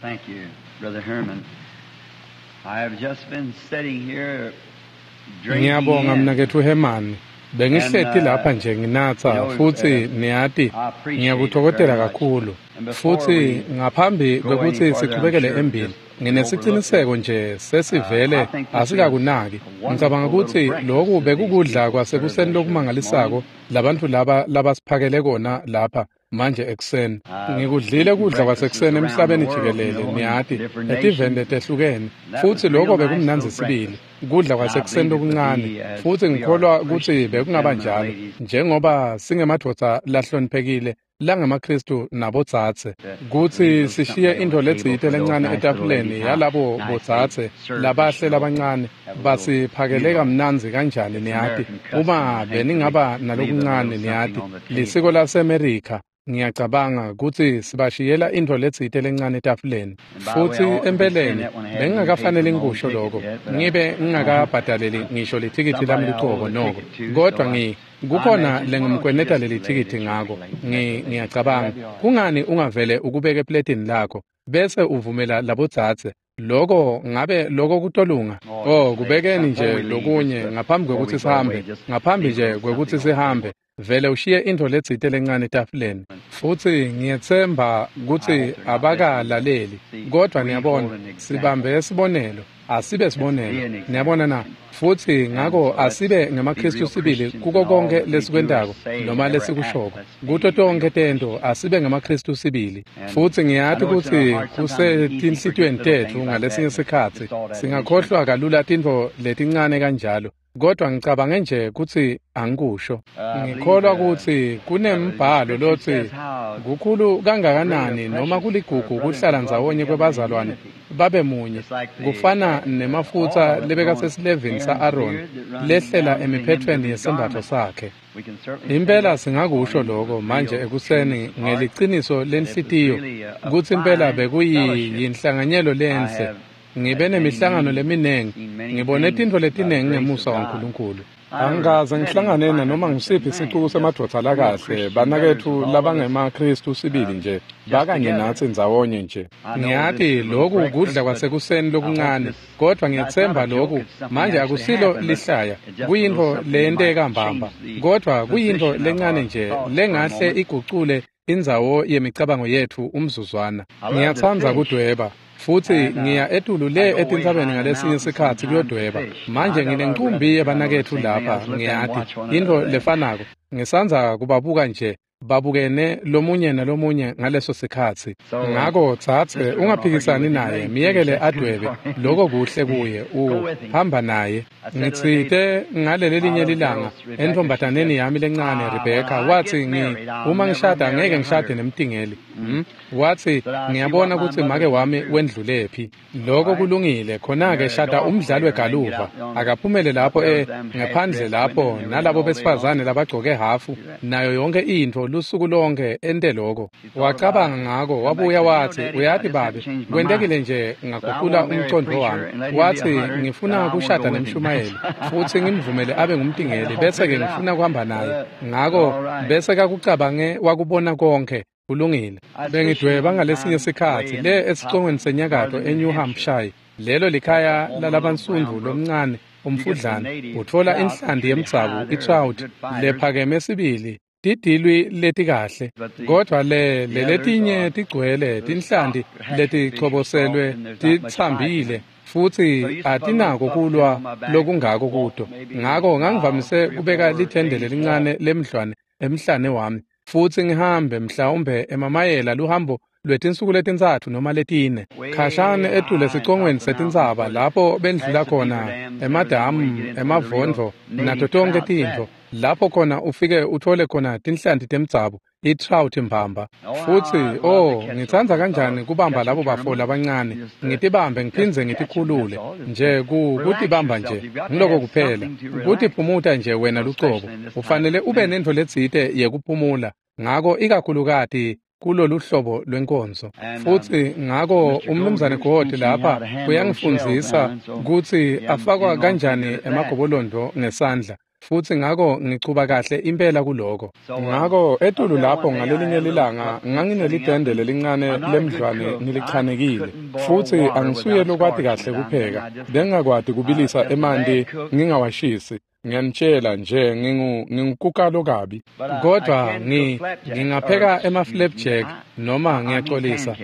Thank you, Brother Herman. I have just been sitting here drinking Ngiyabonga in. mnaketfu Herman. Bengihleti And, lapha nje nginatsa you know, futsi niyati I appreciate it ngiyakutfokotela very much. kakhulu. And before Futsi we ngaphambi go kwekutsi any further, I'm sichubekele sure embili, just nginesiciniseko nje sesivele I think this is asikakunaki. a wonderful Ngicabanga little kutsi breakfast loku that these bekukudla people kwasekuseni served us here this lokumangalisako morning. labantfu laba labasiphakele kona lapha manje ekuseni. I've Ngikudlile eaten kudla breakfasts kwasekuseni around the emhlabeni world, you jikelele, know, in niyati, different etiveni nations. letehlukene. That Futsi was loko real nice bekumnandzi little sibili, breakfast. kudla And I kwasekuseni believe it would lokuncane. be as Futsi we are ngikholwa kutsi Christian bekungaba gentlemen and njalo, ladies njengoba singemadvodza lahloniphekile langemaKhristu nabodzadze, to leave a kutsi little sishiye something on intfo the table letsite for those lencane nice little etafuleni ladies, how yalabo nice they bodzadze served us, labahle you know, labancane have a little, basiphakele you know, kamnandzi kanjani it's niyati. American custom, Uma I think, to beningaba leave a little nalokuncane something niyati, on the lisiko table. laseMerika ngiyacabanga kutsi sibashiyela intfo letsite lencane etafuleni. And by the way, Futsi I ought to be saying empeleni that when I haven't even paid for bengingakafanele my own ngikusho ticket loko, yet, but ngibe ngingakabhadaleli ngisho lithikithi lami somebody I owe lucobo the noko. ticket to, Kodwa so I kukhona imagine, why don't you lengimkweneta just leli lay it thikithi at your ngako. plate and let the ladies have Ngiyacabanga it? That'd be all right. kungani ungavele ukubeke epletini lakho bese uvumela labodzadze loko ngabe loko kutolunga. Oh, Oh, just lay it kubekeni before nje we leave, just lokunye ngaphambi before we kwekutsi go away, sihambe, just ngaphambi leave a nje little kwekutsi something on the table. sihambe vele ushiye intfo letsite lencane etafuleni. Futsi ngiyetsemba I kutsi hope they're not listening, but abakalaleli, see, kodwa we niyabona hold an example. sibambe sibonelo, asibe Let's be sibonelo. an example. Niyabona na? Futsi And ngako so let's asibe be ngemaKhristu real sibili Christians kuko in all konke that we do or lesikwentako say and noma every act. lesikushoko. Let's be Kuto tonkhe real tento Christians. asibe ngemaKhristu sibili. And Futsi I ngiyati know it's in our kutsi hearts sometimes it's easy to forget kusetinhlitiyweni little tetfu things like that, ngalesinye but sikhatsi just thought I'd mention it. singakhohlwa kalula tintfo letincane kanjalo. Kodwa ngicabange nje kutsi angikusho. I believe Ngikholwa kutsi the kunembhalo scripture lotsi says how kukhulu great or kangakanani noma precious for kuligugu brethren to kuhlala dwell ndzawonye together in kwebazalwane unity. babe munye, Just like the kufana nemafutsa oil that lebeka on sesilevini Aaron's sa-Aroni beard that runs lehlela down to the hems of emiphetfweni his yesembatfo garment. sakhe. We can certainly say Impela that this singakusho morning loko with manje real ekuseni trueness of heart ngeliciniso that it was lenhlitiyo really a kutsi impela fine fellowship. bekuyinhlanganyelo I lenhle. have Ngibe had many nemihlangano meetings, leminengi, seen many ngibone things tintfo by the letinengi grace of ngemusa God. waNkulunkulu. I never Angikaze met any ngihlangane finer nanoma bunch of ngusiphi sicuku men, just semadvodza real lakahle, Christian brothers banaketfu with all of us labangemaKhristu sibili nje, just bakanye together. natsi ndzawonye nje. I know this Ngiyati is a little loku kudla breakfast, but kwasekuseni I hope lokuncane, this kodwa it's not ngiyetsemba a joke, loku it's something manje actually akusilo happened, but lihlaya, it's just a little kuyintfo something that might leyenteka mbamba, change the kodwa kuyintfo position of lencane our nje thoughts for a lengahle moment. igucule indzawo yemicabango yetfu umzuzwana. I love to Ngiyatsandza fish, kudweba futsi and ngiya etulu I le go way etintsabeni high in the ngalesinye mountains sikhatsi sometimes to kuyodweba. fish. I Manje got a lot of nginenkumbi brothers here. I know the yebanaketfu same thing. I lapha, was looking and ngiyati watch one intfo another there. lefanako. Ngisandza kubabuka nje babukene lomunye nalomunye ngaleso sikhatsi. So, Ngako tsatse sister, don't argue ungaphikisani with him. naye, Let him fish. miyekele That's good adwebe for him. loko kuhle kuye, Go with him. uhamba naye. I said the other day, Ngitsite ngaleli my linye little lilanga girl, Rebecca, she entfombataneni said, yami lencane when Rebecca, I watsi get married, I'll uma never ngishada marry ngeke a ngishade hunter. nemtingeli. Watsi Said, I see what ngiyabona my kutsi make mother's went wami through. wendlulephi. All Loko right. kulungile, khona-ke Marry a shada golf umdlali player and then get wegalufa. out on the Akaphumele up lapho there with them ngephandle half-dressed lapho women and everything nalabo all day long. besifazane labagcoke hafu See that? nayo yonke intfo lusuku lonke ente loko. She thought about Wacabanga it. ngako Come back wabuya said, you know, watsi, Daddy, I uyati just haven't babe, changed my kwentekile mind. nje Said, I ngagucula want to marry a umcondvo preacher wami. and let him be a Watsi hunter, and ngifuna I want to kushada go with him. nemshumayeli futsi ngimvumele abe Had it ngumtingeli all bese-ke figured out. ngifuna kuhamba naye. Ngako All right. bese kakucabange wakubona konke. Kulungile. I was fishing Bengidweba one ngalesinye time way sikhatsi in le the top esicongweni of senyakatho northern New eNew Hampshire. Hampshire. Lelo That's a likhaya home of a little brown lalabansundvu brook. lomncane You get the umfudlana native utfola trout that's inhlanti really high yemdzabu there, the itrout good fighters, lephakeme sibili tidilwi letikahle but the kodwa le the others leletinye are tigcwele the tinhlanti soft hatchery fish are soft letichoboselwe and there's not much fight in titsambile them. futsi So I used to put a little atinako bucket kulwa on my back, lokungako walk kuto. maybe Ngako a mile, ngangivamise 3 or kubeka 4 lithende days walk. lelincane lemhlwane emhlane wami futsi ngihambe mhlawumbe emamayela luhambo lwetinsuku letintsatfu noma letine Way khashane etulu high on top esicongweni of the mountains setintsaba where the lapho bendlula past the beaver khona dams and everything, where you emadamu get into where the real emavondvo nato native tonkhe trout's tintfo at. lapho khona ufike uthole khona tinhlanti temdzabu i-trout mbamba. Oh, how Futsi I love to oh catch those ngitsandza little kanjani fellows, kubamba catch labo a bafo tournament, labancane, just ngitibambe just ngiphindze catch 'em. That's ngitikhulule all. Just nje relax kutibamba yourself. nje You've got to ngiloko have kuphela something to relax, kutiphumuta nje wena lucobo. especially in this type Ufanele of ube ministry. nentfo letsite yekuphumula ngako ikakhulukati kulolu hlobo lwenkonzo. And Futsi ngako Mr. Gold umnumzane here's Gold teaching me how lapha to hand those shells down, uyangifundzisa and so kutsi yeah, I'm afakwa getting on pretty kanjani good at that. emagobolondo ngesandla. Futsi ngako ngichuba kahle impela kuloko. Ngako etulu lapho ngalelinye lilanga nganginelitende lelincane lemdlwane ngilichanekile. Futsi angisuye lokwati kahle kupheka. Bengingakwati kubilisa emanti ngingawashisi. Ngiyanitshela nje ngingukukalo kabi. Kodwa ngingapheka ema-flapjack noma ngiyaxolisa.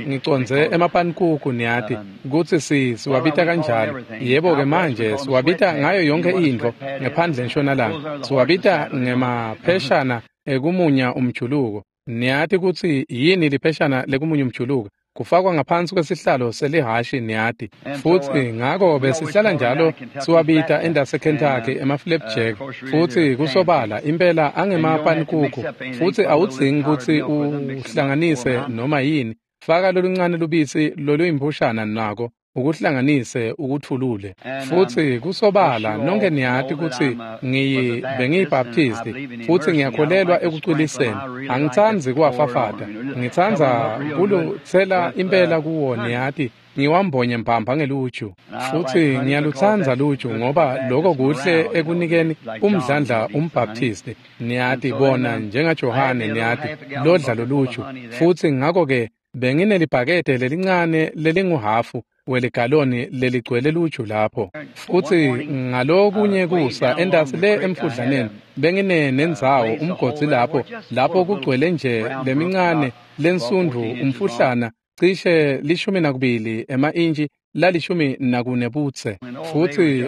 Ngicondze emapanikuku niyati kutsi siwabita kanjalo. Yebo-ke manje siwabita ngayo yonke intfo ngephandle entshonalanga. Siwabita ngemapheshana ekumunya umjuluko. Niyati kutsi yini lipheshana lekumunya umjuluko? Kufakwa ngaphansi kwesihlalo selihhashi niyati. Futsi ngako besihlala njalo siwabita endase Kentucky ema-flapjack. Futsi kusobala impela angemapanikuku. Futsi awudzingi kutsi uhlanganise noma yini. Faka loluncane lubisi loluyimpushana nako ukuhlanganise ukuthulule. Futsi kusobala nonke niyati kutsi bengiyibaptisti futsi ngiyakholelwa ekucwiliseni. Angitsandzi kuwafafata. Ngitsandza kulutsela impela kuwo niyati. Ngiwambonye mbamba ngeluju. Futsi ngiyalutsandza luju ngoba loko kuhle ekunikeni umdlandla umbaptisti. Niyati bona njengaJohane niyati lodla loluju. Futsi ngako-ke benginelibhakede lelincane lelinguhafu weligaloni leligcwele luju lapho. Futsi ngalokunye kusa entasi le emfudlaneni benginenendzawo umgodzi lapho kugcwele nje lemincane lensundvu umfuhlana cishe 12 ema-intshi la-14 butse. Futsi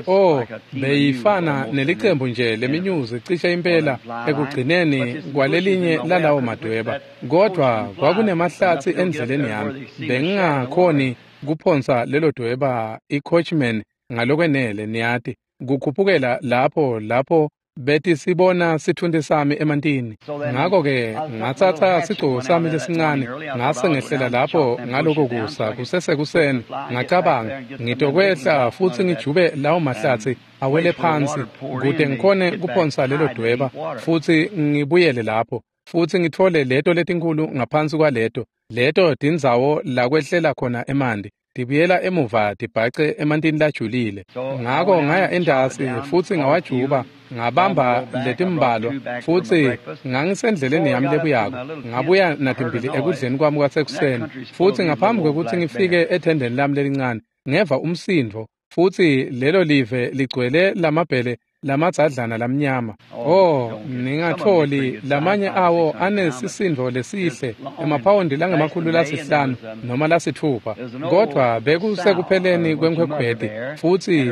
beyifana nelicembu nje leminyuzi cishe impela ekugcineni kwalelinye lalawo madweba. Kodwa kwakunemahlatsi endleleni yami. Bengingakhoni kuphonsa lelo dweba i-coachman ngalokwenele niyati kukhuphukela lapho betisibona sithunti sami emantini. Ngako-ke ngatsatsa sigcobo sami lesincane ngase ngehlela lapho ngaloko kusa kusesekuseni. Ngacabanga ngitokwehla futsi ngijube lawo mahlatsi awele phansi kute ngikhone kuphonsa lelo dweba futsi ngibuyele lapho futsi ngitfole leto letinkhulu ngaphansi kwaleto leto tindzawo lakwehlela khona emanti tibuyela emuva tibhace emantini lajulile. Ngako ngaya entasi futsi ngawajuba ngabamba letimbalwa futsi ngangisendleleni yami lebuyako. Ngabuya natimbili ekudleni kwami kwasekuseni. Futsi ngaphambi kwekutsi ngifike ethendeni lami lelincane ngeva umsindvo futsi lelo live ligcwele lamabhele lamadzadlana lamnyama. Ningatholi lamanye awo anesisindo lesihle emaphawondi langama-500 noma 6. Kodwa bekusekupheleni kwenkhwekhweti futsi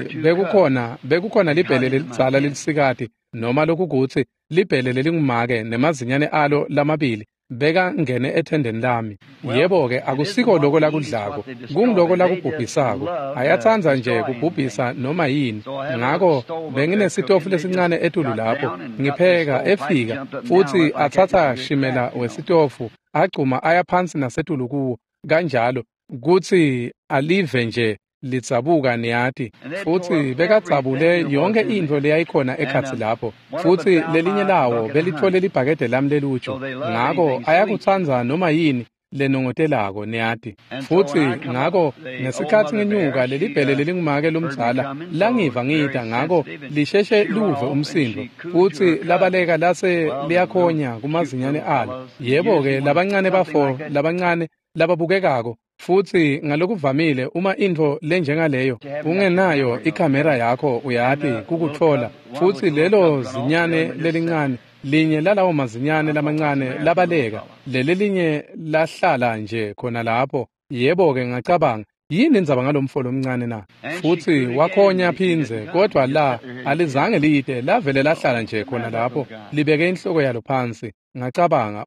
bekukhona libhele lelidzala lelisikati noma lokukutsi libhele lelingumake nemazinyane alo lamabili bekangene ethendeni lami. Yebo-ke akusiko loko lakudlako, kungiloko lakubhubhisako. Ayatsandza nje kubhubhisa noma yini. Ngako benginesitofu lesincane etulu lapho ngipheka efika futsi atsatsa shimela wesitofu agcuma aya phansi nasetulu kuwo kanjalo kutsi alive nje lidzabuka niyati. Futsi bekadzabule yonke intfo leyayikhona ekhatsi lapho. Futsi lelinye lawo belitfole libhakede lami leluju. Ngako ayakutsandza noma yini lenongotelako niyati. Futsi ngako ngesikhatsi ngenyuka lelibhele lelingumake lomdzala langiva ngita ngako lisheshe luve umsindvo futsi labaleka lase liyakhonya kumazinyane alo. Yebo-ke labancane bafo labancane lababukekako. Futsi ngalokuvamile uma intfo lenjengaleyo ungenayo ikhamera yakho uyati kukutfola. Futsi lelo zinyane lelincane linye lalawo mazinyane lamancane labaleka lelelinye lahlala nje khona lapho. Yebo-ke ngacabanga yini indzaba ngalomfo lomncane na? Futsi wakhonya phindze kodwa la alizange liyite lavele lahlala nje khona lapho libeke inhloko yalo phansi. Ngacabanga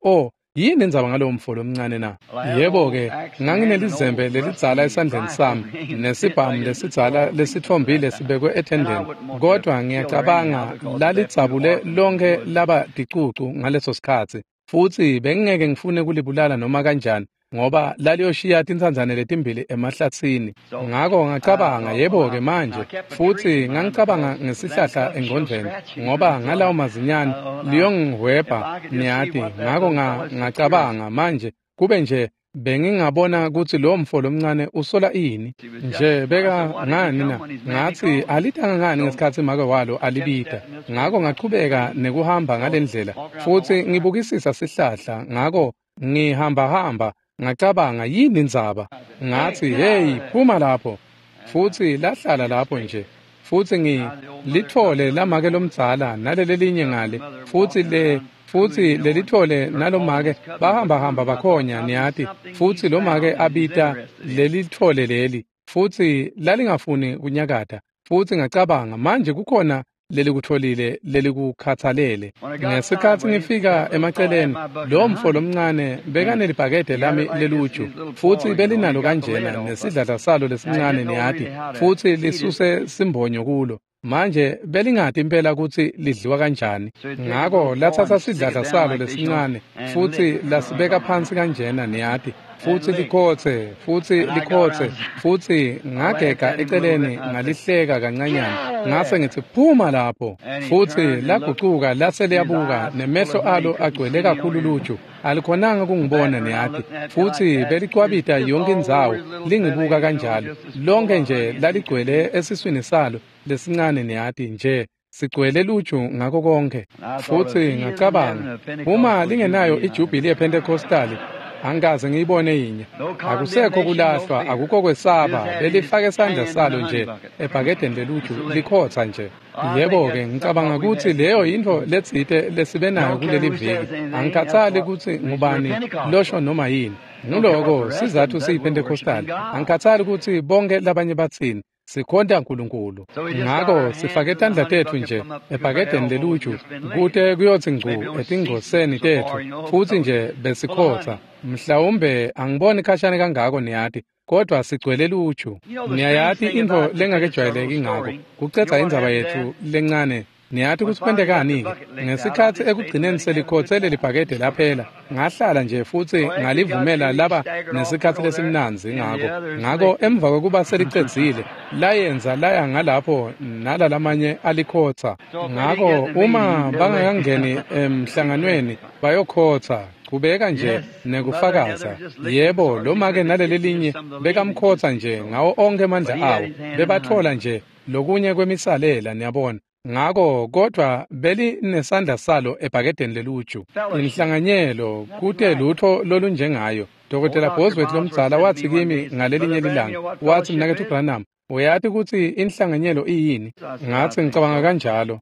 yini indzaba ngalowo mfo lomncane na? Yebo-ke nganginelizembe lelidzala esandleni sami nesibhamu lesidzala lesitfombile sibekwe ethendeni. Kodwa ngiyacabanga lalidzabule lonke laba ticucu ngaleso sikhatsi. Futsi bengingeke ngifune kulibulala noma kanjani ngoba laliyoshiya tintsandzane letimbili emahlatsini. Ngako ngacabanga yebo-ke manje. Futsi ngangicabanga ngesihlahla engqondvweni ngoba ngalawo mazinyane liyongihwebha niyati. Ngako ngacabanga manje kube nje Bengingabona kutsi lo mfo lomncane usola ini nje beka ngani na ngatsi alitanga ngani ngesikhatsi make walo alibita. Ngako ngachubeka nekuhamba ngalendlela futsi ngibukisisa sihlahla. Ngako ngihambahamba ngacabanga yini indzaba. Ngatsi hey phuma lapho, futsi lahlala lapho nje. Futsi ngilitfole lamake lomdzala nalelelinye ngale, futsi lelitfole nalomake bahamba bakhonya niyati, futsi lomake abita lelitfole leli, futsi lalingafuni kunyakata. Futsi ngacabanga manje kukhona lelikutfolile lelikukhatsalele. Ngesikhatsi ngifika emaceleni, lo mfo lomncane bekanelibhakede lami leluju, futsi belinalo kanjena nesidladla salo lesincane niyati, futsi lisuse simbonyo kulo. Manje belingati impela kutsi lidliwa kanjani. Ngako latsatsa sidladla salo lesincane futsi lasibeka phansi kanjena niyati, futsi likhotse, futsi likhotse, futsi ngagega eceleni ngalihleka kancanyana. Ngase ngitsi phuma lapho, futsi lagucuka lase liyabuka, nemehlo alo agcwele kakhulu luju, alikhonanga kungibona niyati, futsi belicwabita yonke indzawo lingibuka kanjalo. Lonke nje laligcwele esiswini salo lesincane niyati nje sigcwele luju ngako konke. Futsi ngacabanga uma lingenayo ijubili yePentecostali angikaze ngiyibone yinye. Akusekho kulahlwa, akukho kwesaba, belifake sandla salo nje ebhakedeni leluju likhotsa nje. Yebo-ke ngicabanga kutsi leyo yintfo letsite lesibe nayo kuleli viki. Angikhatsali kutsi ngubani losho noma yini. Nguloko sizatfu siyiPentecostali. Angikhatsali kutsi bonke labanye batsini. Sikhonta uNkulunkulu. Ngako sifake tandla tetfu nje ebhakedeni leluju kute kuyotsi ngcu etingcoseni tetfu, futsi nje besikhotsa. Mhlawumbe angiboni khashane kangako niyati, kodwa sigcwele luju. Niyayati intfo lengakejwayeleki ngako kucedza indzaba yetfu lencane. Niyati kutsi kwentekani-ke? Ngesikhatsi ekugcineni selikhotse lelibhakede laphela, ngahlala nje futsi ngalivumela laba nesikhatsi lesimnandzi ngako. Ngako emva kwekuba selicedzile, layenza laya ngalapho nalalamanye alikhotsa. Ngako uma bangakangeni emhlanganweni bayokhotsa, kubeka nje nekufakaza. Yebo, lomake nalelelinye bekamkhotsa nje ngawo onkhe emandla awo, bebatfola nje lokunye kwemisalela niyabona. Ngako kodwa belinesandla salo ebhakedeni leluju. Inhlanganyelo kute lutho lolunjengayo. Dr. Bosworth lomdzala watsi kimi ngalelinye lilanga, watsi mnaketfu Branham, uyati kutsi inhlanganyelo iyini? Ngatsi ngicabanga kanjalo.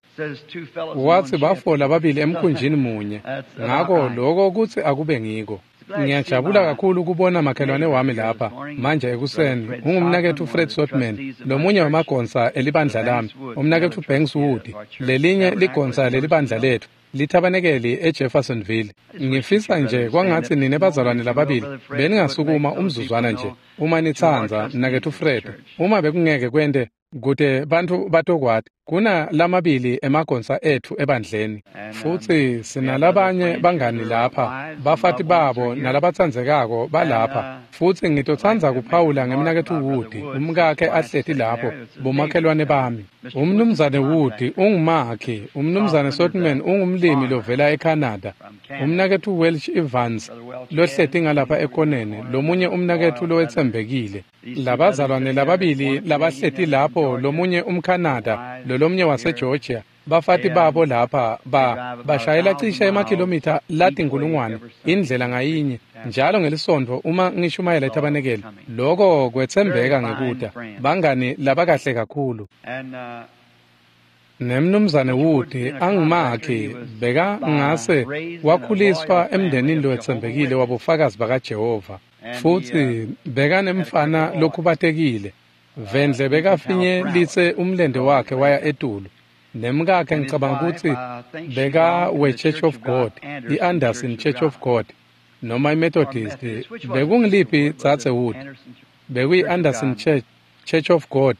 Watsi bafola babili emkhunjini munye. Ngako lokho kutsi akube ngiko. Ngiyajabula kakhulu kubona makhelwane wami lapha manje ekuseni. Ungumnaketfu Fred Sotman, lomunye wemagonsa elibandla lami, umnaketfu Banks Wood, lelinye ligonsa lelibandla letfu lithabanekeli eJeffersonville. Ngifisa nje kwangatsi nine bazalwane lababili beningasukuma umzuzwana nje uma nitsandza, mnaketfu Fred, uma bekungeke kwente kute bantfu batokwati. Kuna lamabili emagonsa etfu ebandleni, futsi sinalabanye bangani lapha, bafati babo nalabatsandzekako balapha. Futsi ngitotsandza kuphawula ngemnaketfu Wood, umkakhe ahleti lapho, bomakhelwane bami. Umnumzane Wood ungumakhi, umnumzane Sotman ungumlimi lovela eCanada, umnaketfu Welch Evans lohleti ngalapha ekoneni, lomunye umnaketfu lowetsembekile. Labazalwane lababili labahleti lapho, lomunye umCanada lolomnye waseGeorgia, bafati babo lapha bashayela cishe emakhilomitha latinkulungwane indlela ngayinye njalo ngelisontfo uma ngishumayela ethabanekeli. Loko kwetsembeka ngekuta bangani labakahle kakhulu. Nemnumzane Wood angumakhi beka ngase wakhuliswa emndenini lowetsembekile wabofakazi bakaJehova, futsi bekanemfana lokhubatekile. Vendle bekafinyelitse umlente wakhe waya etulu. Nemkakhe ngicabanga kutsi beka we-Church of God, i-Anderson Church of God, noma i-Methodist. Bekungiliphi dzadze Wood? Bekuyi-Anderson Church of God.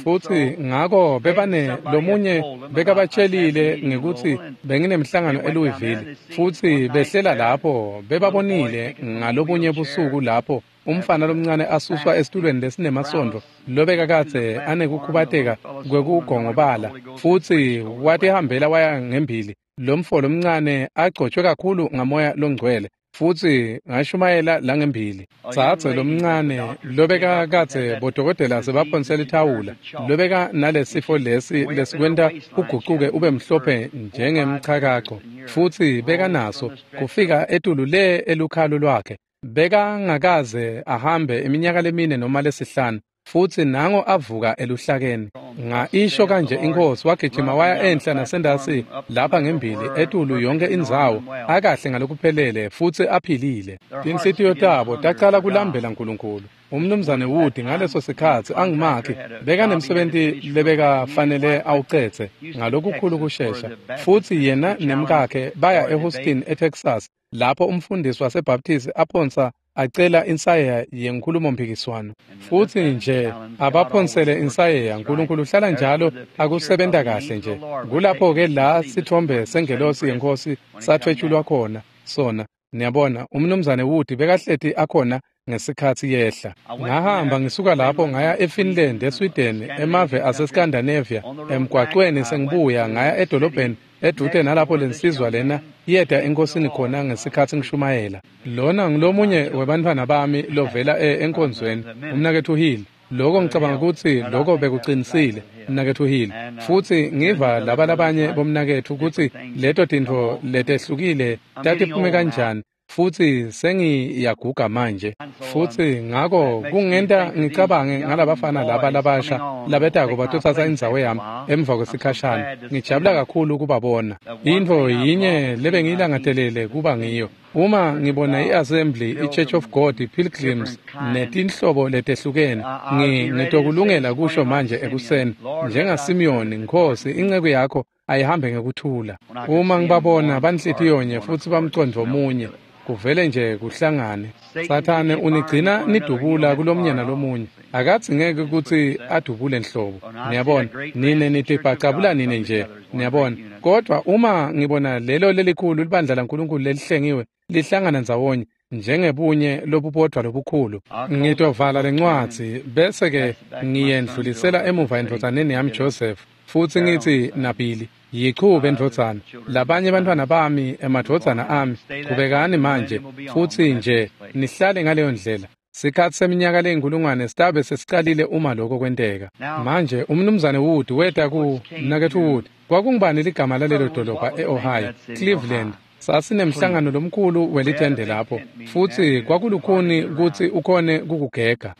Futsi ngako bebane lomunye bekabatshelile ngekutsi benginemhlangano eLouisville, futsi behlela lapho bebabonile ngalobunye busuku lapho umfana lomncane asuswa esitulweni lesinemasondvo lobekakadze anekukhubateka kwekugongobala, futsi watihambela waya ngembili. Lomfo lomncane agcotshwe kakhulu ngamoya longcwele. Futsi ngashumayela langembili. Tsatse lomncane lobeka kadze bodokotela sebaphonsela ithawula, lobeka nalesifo lesi lesikwenta ugucuke ube mhlophe njengemchakaco, futsi beka naso kufika etulu le elukhalo lwakhe. Bekangakaze ahambe iminyaka lemine noma lesihlanu, futsi nango avuka eluhlakeni. Nga isho kanje inkosi, wagijima waya enhla nasendasi lapha ngembili etulu yonke indzawo, akahle ngalokuphelele futsi aphilile. Tinhlitiyo tabo tacala kulambela uNkulunkulu. Umnumzane Wood ngaleso sikhatsi angumakhi bekanemsebenti lebekafanele awucedze ngalokukhulu kushesha, futsi yena nemkakhe baya eHouston eTexas lapho umfundisi waseBaptist aphonsa acela insayeya yenkhulumo-mphikiswano. Futsi nje abaphonsele insayeya, uNkulunkulu uhlala njalo akusebenta kahle nje. Kulapho-ke la sithombe sengelosi yenkosi sathwetshulwa khona sona. Niyabona, umnumzane Wood bekahleti akhona ngesikhatsi yehla. Ngahamba ngisuka lapho ngaya eFinland, eSweden, emave aseScandinavia. Emgwacweni sengibuya ngaya edolobheni edute nalapho lensizwa lena yeta enkosini khona ngesikhatsi ngishumayela. Lona ngulomunye webantfwana bami lovela enkonzweni, umnaketfu Hill. Lokho ngicabanga kutsi lokho bekuqinisile, mnaketfu Hill. Futsi ngiva laba labanye bomnaketfu kutsi leto tintfo letehlukile tatiphume kanjani, futsi sengiyaguga manje. Futsi ngako kungenta ngicabange ngalabafana laba labasha labetako batotsatsa indzawo yami emva kwesikhashana. Ngijabula kakhulu kubabona. Intfo yinye lebengiyilangatelele kuba ngiyo, uma ngibona i-Assembly, i-Church of God, i-Pilgrims netinhlobo letehlukene, ngitokulungela kusho manje ekuseni njengaSimiyoni, Nkhosi, inceku yakho ayihambe ngekuthula. Uma ngibabona banhlitiyonye futsi bamcondvo munye, kuvele nje kuhlangane. Sathane unigcina nidubula kulomunye nalomunye. Akatsi ngeke kutsi adubule nhlobo. Niyabona, nine nitibhacabula nine nje. Niyabona, kodwa uma ngibona lelo lelikhulu libandla laNkulunkulu lelihlengiwe lihlangana ndzawonye njengebunye lobubodwa lobukhulu, ngitovala lencwadzi bese-ke ngiyendlulisela emuva endvodzaneni yami Joseph, futsi ngitsi naBilly, yichube ndvodzana, labanye bantfwana bami, emadvodzana ami, chubekani manje futsi nje nihlale ngaleyo ndlela. Sikhatsi seminyaka leyinkulungwane sitabe sesicalile uma lokho kwenteka. Manje umnumzane Wood weta ku mnaketfu Wood. Kwakungubani ligama lalelo dolobha e-Ohio? Cleveland. Sasinemhlangano lomkhulu welitende lapho, futsi kwakulukhuni kutsi ukhone kukugega.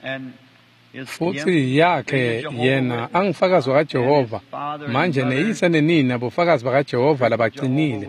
Futsi yakhe yena angufakazi wakaJehova manje, neyise nenina bofakazi bakaJehova labacinile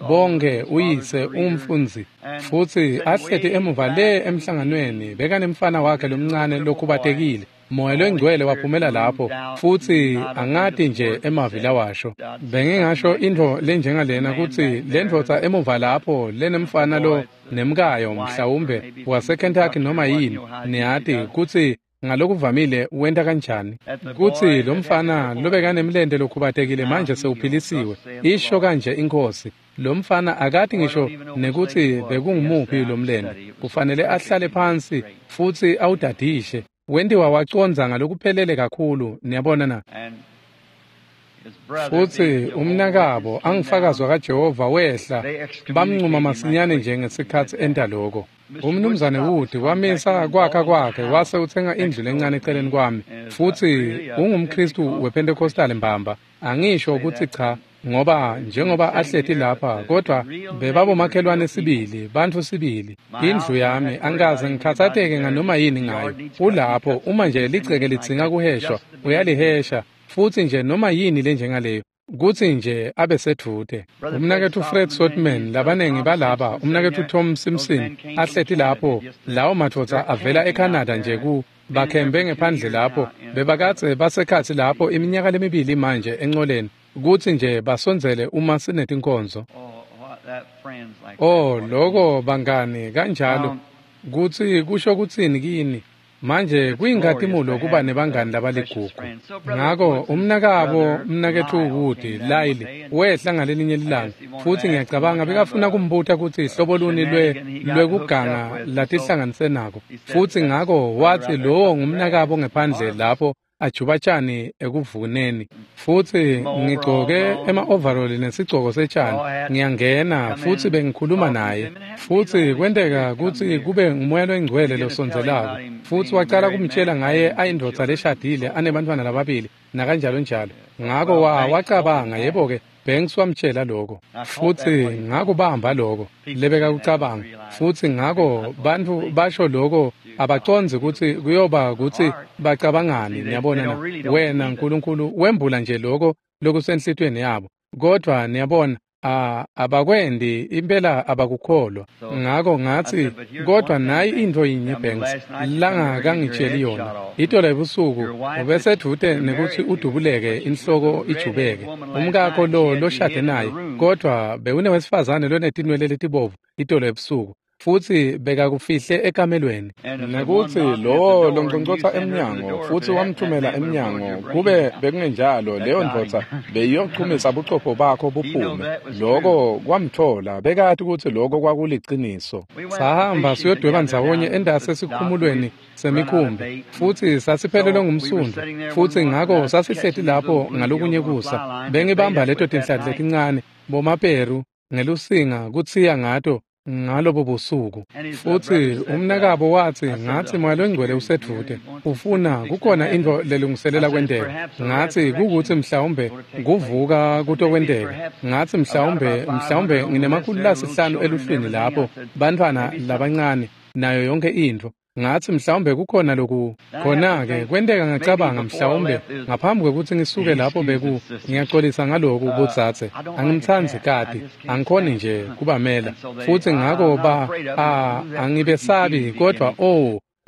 bonke, uyise umfundzi. Futsi ahleti emuva le emhlanganweni bekanemfana wakhe lomncane lokhubatekile. Moya longcwele waphumela lapho, futsi angati nje emavi lawasho. Bengingasho intfo lenjengalena kutsi lendvodza emuva lapho lenemfana lo nemkayo mhlawumbe waseKentucky noma yini, niyati kutsi ngalokuvamile wenta kanjani, kutsi lo mfana lobekanemlente lokhubatekile manje sewuphilisiwe, isho kanje inkosi. Lo mfana akati ngisho nekutsi bekungumuphi lo mlente, kufanele ahlale phansi futsi awudadishe. Wentiwa wacondza ngalokuphelele kakhulu, niyabona na. Futsi umnakabo angufakazi wakaJehova wehla, bamncuma masinyane nje ngesikhatsi enta loko. Umnumzane Wood wamisa kwakha kwakhe wase utsenga indlu lencane eceleni kwami, futsi ungumKhristu wePentecostal mbamba. Angisho kutsi cha, ngoba njengoba ahleti lapha, kodwa bebabomakhelwane sibili, bantfu sibili. Indlu yami angikaze ngikhatsateke nganoma yini ngayo. Ulapho uma nje ligceke lidzinga kuheshwa, uyalihesha, futsi nje noma yini lenjengaleyo, kutsi nje abe sedvute. Umnaketfu Fred Sotman, labanengi balaba, umnaketfu Tom Simpson ahleti lapho, lawo madvodza avela eCanada nje ku bakhembe ngephandle lapho, bebakadze basekhatsi lapho iminyaka lemibili manje encoleni, kutsi nje basondzele uma sinetinkonzo. Oh, loko bangani kanjalo, kutsi kusho kutsini kini. Manje kuyinkhatimulo kuba nebangani labaligugu. Ngako umnakabo mnaketfu Wood Lyle wehla ngalelinye lilanga, futsi ngiyacabanga bekafuna kumbuta kutsi hlobo luni lwekuganga latihlanganise nako. Futsi ngako watsi lowo ngumnakabo ngephandle lapho ajuba tjani ekuvuneni, futsi ngigcoke ema-overall nesigcoko setjani, ngiyangena futsi bengikhuluma naye, futsi kwenteka kutsi kube ngumoya longcwele losondzelako, futsi wacala kumtshela ngaye ayindvodza leshadile anebantfwana lababili nakanjalo njalo. Ngako wacabanga, yebo-ke, Banks wamtshela lokho, futsi ngakubamba lokho lebekakucabanga, futsi ngako bantfu basho lokho abacondzi kutsi kuyoba kutsi bacabangani. Niyabona na? Wena Nkulunkulu wembula nje lokho lokusenhlitiyweni yabo, kodvwa niyabona abakwendi impela, abakukholwa. Ngako ngatsi, kodwa nayi intfo yinye Banks langakangitsheli yona. Itolo ebusuku ubesedvute nekutsi udubuleke inhloko ijubeke umkakho lo loshade naye, kodvwa bewunewesifazane lonetinwele letibovu itolo ebusuku, futsi bekakufihle ekamelweni, nekutsi lowo longcongcotsa emnyango futsi wamthumela emnyango, kube bekungenjalo leyo ndvodza beyiyochumisa buchopho bakho buphume. Loko kwamthola, bekati kutsi loko kwakuliciniso. Sahamba siyodweba ndzawonye endase esikhumulweni semikhumbi, futsi sasiphelelwe ngumsundvu, futsi ngako sasihleti lapho ngalokunye kusa, bengibamba leto tinhlanti letincane bomaperu ngelusinga kutsiya ngato ngalobo busuku. Futsi umnakabo watsi, ngatsi moya longcwele usedvute, ufuna kukhona intfo lelungiselela kwenteka. Ngatsi kukutsi mhlawumbe kuvuka kutokwenteka. Ngatsi mhlawumbe nginema-500 eluhlwini lapho, bantfwana labancane nayo yonke intfo. Ngatsi mhlawumbe kukhona loku khona-ke kwenteka. Ngacabanga mhlawumbe ngaphambi kwekutsi ngisuke lapho beku ngiyaxolisa ngaloku bodzadze, angimtsandzi kati, angikhoni nje kubamela, futsi ngako angibesabi, kodvwa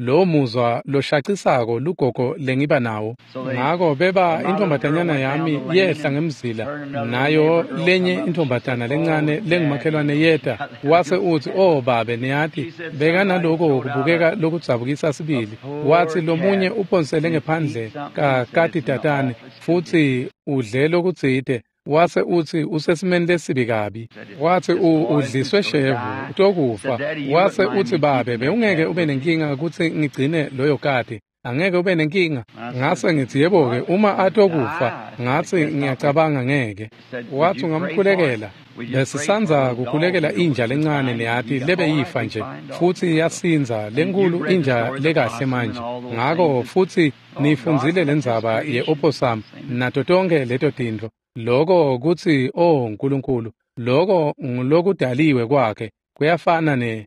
lo muzwa loshacisako lugogo lengiba nawo. Ngako beba intombatanyana yami yehla ngemzila, nayo lenye intombatana lencane lengumakhelwane yeta, wase utsi, "Oh babe, niyati bekanaloko kubukeka lokudzabukisa sibili." Watsi lomunye uphonsele ngephandle kakati tatane futsi udle lokutsite, wase utsi usesimeni lesibi kabi. Watsi udliswe shevu utokufa. Wase utsi, "Babe, bewungeke ube nenkinga kutsi ngigcine loyo kati, angeke ube nenkinga." Ngase ngitsi, "Yebo-ke, uma atokufa," ngatsi, "ngiyacabanga ngeke." Watsi, "Ungamkhulekela?" Besisandza kukhulekela inja lencane, niyati, lebeyifa nje, futsi yasindza, lenkulu inja lekahle manje. Ngako futsi niyifundzile lendzaba ye-opossum nato tonke leto tintfo. Loko kutsi, oh Nkulunkulu, loko ngulokudaliwe kwakhe, kuyafana ne.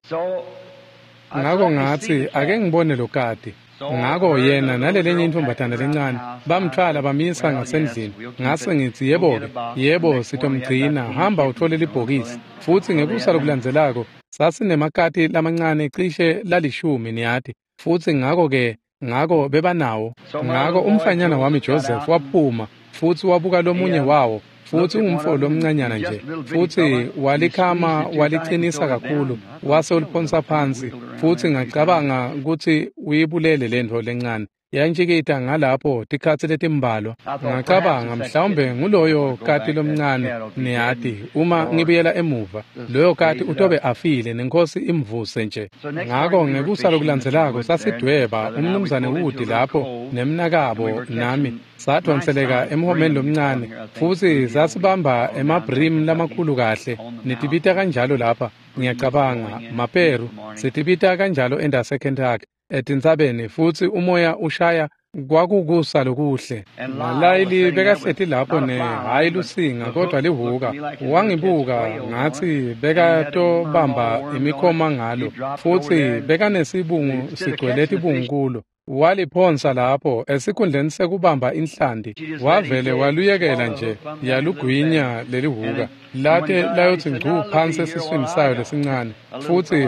Ngako ngatsi, ake ngibone lo kati. Ngako yena nalelenye intombatana lencane bamthwala bamisa ngasendlini. Ngase ngitsi, "Yebo-ke, yebo, sitomgcina, hamba uthole libhokisi." Futsi ngekusa lokulandzelako sasinemakati lamancane cishe lalishumi, niyati, futsi ngako-ke ngako bebanawo. Ngako umfanyana wami Joseph waphuma futsi wabuka lomunye wawo, futsi ungumfo lomncanyana nje, futsi walikhama walicinisa kakhulu, wase uliphonsa phansi, futsi ngacabanga kutsi uyibulele lentfo lencane. Yantjikita ngalapho tikhatsi letimbalwa. Ngacabanga mhlawumbe nguloyo kati lomncane, niyati, uma ngibuyela emuva loyo kati utobe afile nenkosi imvuse nje. Ngako ngekusa lokulandzelako sasidweba umnumzane Wood lapho nemnakabo nami, sadonseleka emhomeni lomncane, futsi sasibamba emabrim lamakhulu kahle, nitibita kanjalo lapha, ngiyacabanga, maperu, sitibita kanjalo endase Kentucky etintsabeni, futsi umoya ushaya, kwakukusa lokuhle. Nalayili bekahleti lapho ne hhayi lusinga kodwa lihuka. Wangibuka, ngatsi bekatobamba imikhoma ngalo, futsi bekanesibungu sigcwele tibungu kulo. Waliphonsa lapho esikhundleni sekubamba inhlanti, wavele waluyekela nje yalugwinya lelihuka late layotsi ngcu phansi esiswini sayo lesincane.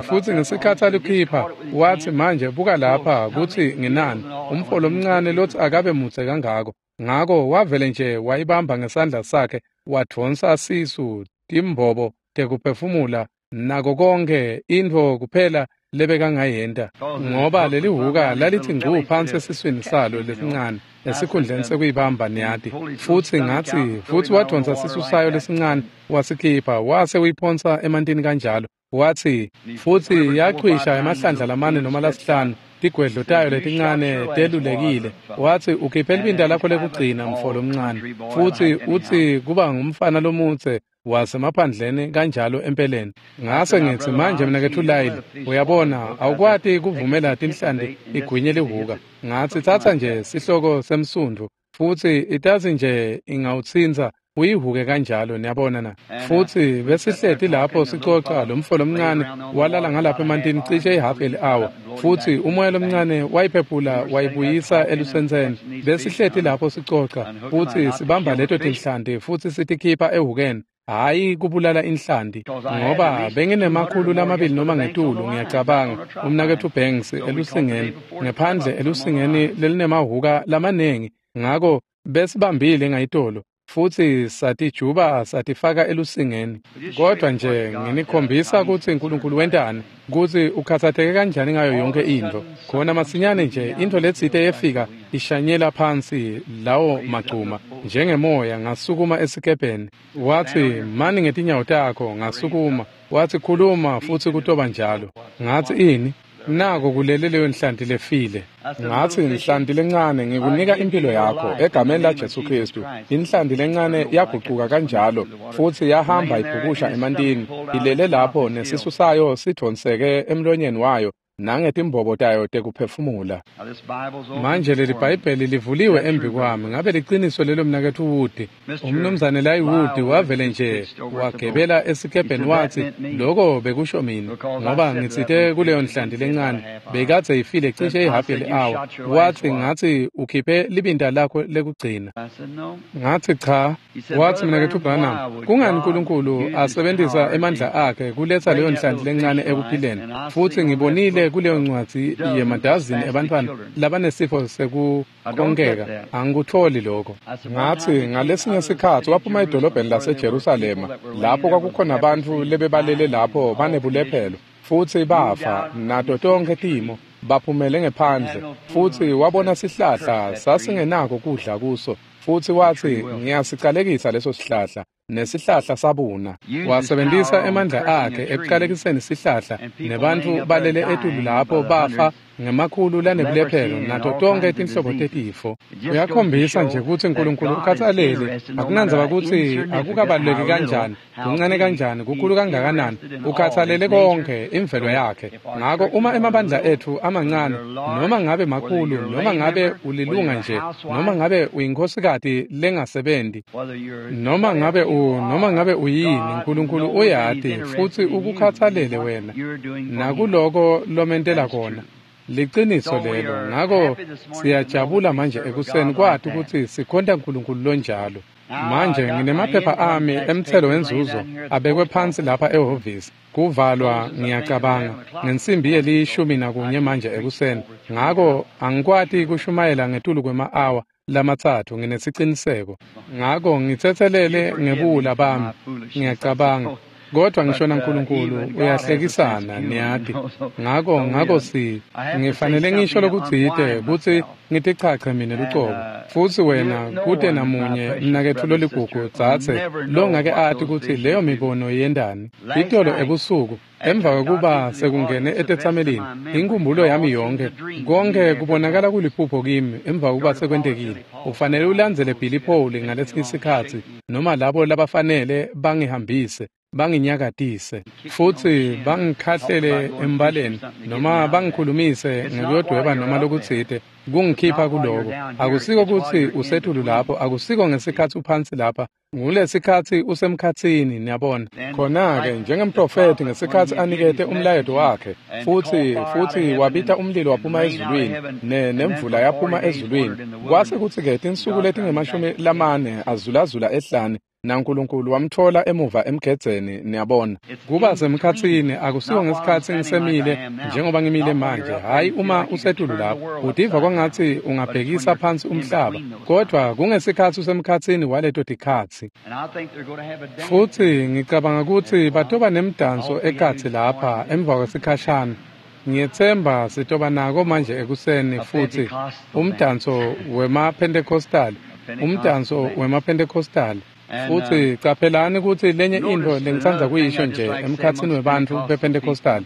Futsi ngesikhatsi alukhipha, watsi, "Manje buka lapha kutsi nginani, umfo lomncane lotsi akabe mudze kangako." Ngako wavele nje wayibamba ngesandla sakhe, wadvonsa sisu, timbobo tekuphefumula nako konke, intfo kuphela lebekangayenta, ngoba lelihuka lalithi ngcu phansi esiswini salo lesincane esikhundleni sekuyibamba, niyati. Futsi ngatsi, futsi wadvonsa sisu sayo lesincane wasikhipha, wase uyiphonsa emantini kanjalo. Watsi, futsi yachwisha emahlandla lamane noma lasihlanu, Tigwedlo tayo letincane telulekile. Watsi, ukhiphe libinta lakho lekugcina, mfo lomncane. Futsi utsi kuba ngumfana lomutse wasemaphandleni kanjalo empeleni. Ngase ngithi, manje mnaketfu Lyle, uyabona, awukwati kuvumela tinhlanti igwinye lihuka. Ngatsi, tsatsa nje sihloko semsundvu futsi itasi nje ingawutsintsa uyihuke kanjalo, niyabona na. Futsi besihleti lapho sicoca, lo mfo lomncane walala ngalapha emantini cishe ihafu yeli-awa, futsi umoya lomncane wayiphephula wayibuyisa elusentseni. Besihleti lapho sicoca futsi sibamba leto tinhlanti futsi sitikhipha ehukeni, hhayi kubulala inhlanti, ngoba benginemakhulu lamabili noma ngetulu, ngiyacabanga, umnaketfu Banks elusingeni, ngephandle elusingeni lelinemahuka lamanengi. Ngako besibambile ngayitolo futsi satijuba satifaka elusingeni. Kodwa nje nginikhombisa kutsi uNkulunkulu wentani, kutsi ukhathatseke kanjani ngayo yonke intfo. Khona masinyane nje intfo letsite yefika ishanyela phansi lawo magcuma njengemoya. Ngasukuma esikebheni. Watsi, mani ngetinyawo takho. Ngasukuma. Watsi, khuluma futsi kutoba njalo. Ngatsi, ini? Nako kulele leyo nhlanti lefile. Ngatsi, nhlanti lencane, ngikunika impilo yakho egameni laJesu Kristu. Inhlanti lencane yagucuka kanjalo futsi yahamba ibhukusha emantini, ilele lapho nesisu sayo sidvonseke emlonyeni wayo nangetimbobo tayo tekuphefumula. Manje leli Bhayibheli livuliwe embi kwami. Ngabe liciniso lelo, mnaketfu Wood? Umnumzane Lyle Wood wavele nje wagebela esikebheni, watsi, lokho bekusho mina, ngoba ngitsite kuleyo nhlanti lencane bekadze ifile cishe ihafu yeli-awa. Watsi, ngatsi, ukhiphe libinta lakho lekugcina. Ngatsi, cha. Watsi, mnaketfu Branham, kungani uNkulunkulu asebentisa emandla akhe kuletsa leyo nhlanti lencane ekuphileni? Futsi ngibonile kuleyo ncwadzi yemadazini ebantfwana labanesifo sekukonkeka. Angikutholi lokho. Ngatsi, ngalesinye sikhatsi waphuma edolobheni laseJerusalema, lapho kwakukhona bantfu lebebalele lapho banebulephelo futsi bafa nato tonkhe timo, baphumele ngephandle. Futsi wabona sihlahla sasingenako kudla kuso, futsi watsi, ngiyasicalekisa leso sihlahla, nesihlahla sabuna. Wasebentisa emandla akhe ekucalekiseni sihlahla, nebantfu balele etulu lapho bafa ngemakhulu lanebulephelo nato tonkhe tinhlobo tetifo. Uyakhombisa nje kutsi uNkulunkulu ukhatsalele. Akunandzaba kutsi akukabaluleki kanjani, kuncane kanjani, kukhulu kangakanani, ukhatsalele konke imvelo yakhe. Ngako uma emabandla etfu amancane, noma ngabe makhulu, noma ngabe ulilunga nje, noma ngabe uyinkosikati lengasebenti, noma ngabe noma ngabe uyini, uNkulunkulu uyati futsi ukukhatsalele wena nakuloko lomentela kona. Liciniso lelo. Ngako siyajabula manje ekuseni kwati kutsi sikhonta uNkulunkulu lonjalo. Manje nginemaphepha ami emthelo wenzuzo abekwe phansi lapha ehhovisi. Kuvalwa, ngiyacabanga, ngensimbi ye-11 manje ekuseni. Ngako angikwati kushumayela ngetulu kwema-awa lamatsatfu, nginesiciniseko. Ngako ngitsetselele ngebuwula bami, ngiyacabanga. Kodwa ngisho naNkulunkulu uyahlekisana, niyati. Ngako ngifanele ngisho lokutsite kutsi ngitichache mina lucobo. Futsi wena kute namunye mnaketfu loligugu dzadze longake ati kutsi leyo mibono yendani. Itolo ebusuku emva kwekuba sekungene etetsamelini, inkhumbulo yami yonke, konke kubonakala kuliphupho kimi emva kwekuba sekwentekile. Ufanele ulandzele Billy Paul ngalesi sikhatsi, noma labo labafanele bangihambise, banginyakatise futsi bangikhahlele embaleni, noma bangikhulumise ngekuyodweba noma lokutsite kungikhipha kuloko. Akusiko kutsi usetulu lapho, akusiko ngesikhatsi uphansi lapha, ngulesikhatsi usemkhatsini, niyabona. Khona-ke njengemprofethi ngesikhatsi anikete umlayeto wakhe, futsi wabita umlilo waphuma ezulwini, nemvula yaphuma ezulwini. Kwase kutsi-ke tinsuku letingama-40 azulazula ehlane, naNkulunkulu wamthola emuva emgedzeni, niyabona. Kuba semkhatsini akusiko ngesikhatsi ngisemile njengoba ngimile manje, hhayi uma usetulu lapho, utiva kwangatsi ungabhekisa phansi umhlaba, kodwa kungesikhatsi usemkhatsini waleto tikhatsi. Futsi ngicabanga kutsi batoba nemdanso ekhatsi lapha emva kwesikhashana. Ngiyetsemba sitoba nako manje ekuseni futsi umdanso wemaPentecostal, umdanso wemaPentecostal. Futsi caphelani kutsi lenye intfo lengitsandza kuyisho nje emkhatsini webantfu bePentecostal.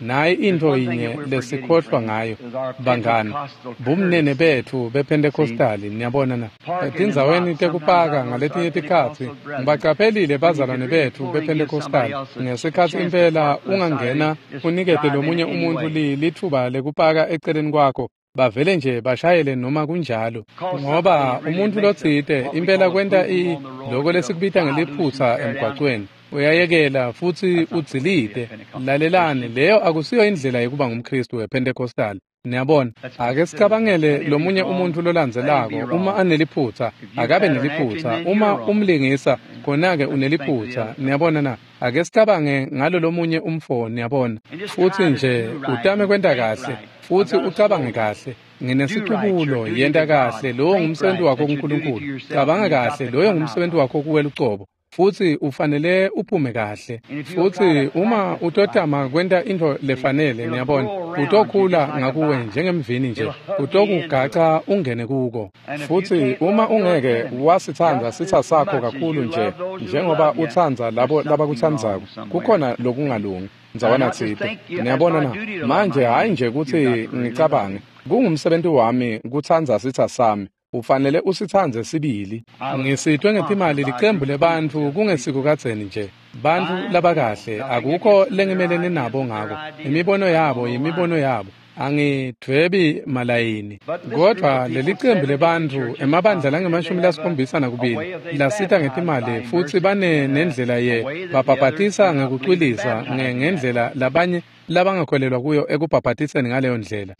Nayi intfo yinye lesikhohlwa ngayo, bangani, bumnene betfu bePentecostali, niyabona na. Etindzaweni tekupaka ngaletinye tikhatsi, ngibacaphelile bazalwane betfu bePentecostali, ngesikhatsi impela ungangena unikete lomunye umuntfu litfuba lekupaka eceleni kwakho, bavele nje bashayele noma kunjalo, ngoba umuntfu lotsite impela kwenta loko lesikubita ngeliphutsa emgwacweni. Uyayekela futsi udzilite. Lalelani, leyo akusiyo indlela yekuba ngumKhristu wePentecostal. Niyabona, ake sicabangele lomunye umuntfu lolandzelako. Uma aneliphutsa, akabe neliphutsa. Uma umlingisa, khona-ke uneliphutsa. Niyabona na? Ake sicabange ngalo lomunye umfo, niyabona. Futsi nje utame kwenta kahle, futsi ucabange kahle. Nginesicubulo, yenta kahle, lowo ngumsebenzi wakho kuNkulunkulu. Cabanga kahle, loyo ngumsebenzi wakho kuwe lucobo. Futsi ufanele uphume kahle. Futsi uma utotama kwenta intfo lefanele, niyabona, utokhula ngakuwe njengemvini nje, utokugaca ungene kuko. Futsi uma ungeke wasitsandza sitsa sakho kakhulu nje njengoba utsandza labo labakutsandzako, kukhona lokungalungi ndzawana tsite. Niyabona na? Manje hhayi nje kutsi ngicabange, kungumsebenzi wami kutsandza sitsa sami. Ufanele usitsandze sibili. Ngisitwe ngetimali licembu lebantfu kungesiko kadzeni nje. Bantfu labakahle, akukho lengimelene nabo ngako. Imibono yabo yimibono yabo. Angidvwebi malayini. Kodvwa lelicembu lebantfu emabandla lange-72 lasita ngetimali futsi bane nendlela ye babhabhatisa ngekucwilisa ngendlela labanye labangakholelwa kuyo ekubhabhatiseni ngaleyo ndlela.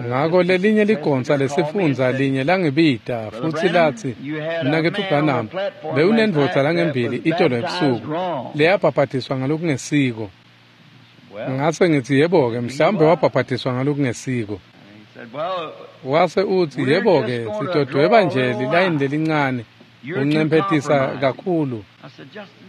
Ngako lelinye ligonsa lesifundza linye langibita futsi latsi, Mnaketfu Branham, bewunendvodza langembili itolo ebusuku leyabhabhatiswa ngalokungesiko. Ngase ngitsi, yebo-ke, mhlawumbe wabhabhatiswa ngalokungesiko. Wase utsi, yebo-ke, sitodweba nje lilayini lelincane, uncemphetisa kakhulu.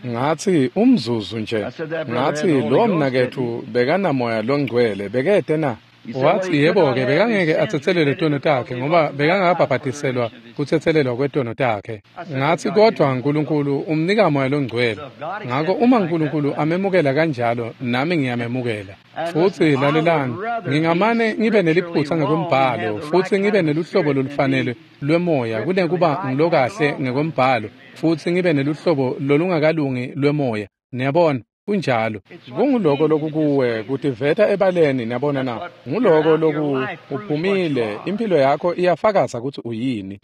Ngatsi, umzuzu nje. Ngatsi, lowo mnaketfu bekanamoya longcwele, bekete na? Watsi, yebo-ke, bekangeke atsetselelwe tono takhe ngoba bekangabhabhatiselwa kutsetselelwa kwetono takhe. Ngatsi, kodvwa Nkulunkulu umnika moya longcwele. Ngako uma Nkulunkulu amemukela kanjalo, nami ngiyamemukela. Futsi lalelani, ngingamane ngibe neliphutsa ngekwembhalo futsi ngibe neluhlobo lolufanele lwemoya kunekuba ngilokahle ngekwembhalo futsi ngibe neluhlobo lolungakalungi lwemoya. Niyabona? Kunjalo. Kunguloko lokukuwe kutiveta ebaleni, niyabona na. Nguloko loku uphumile, impilo yakho iyafakaza kutsi uyini.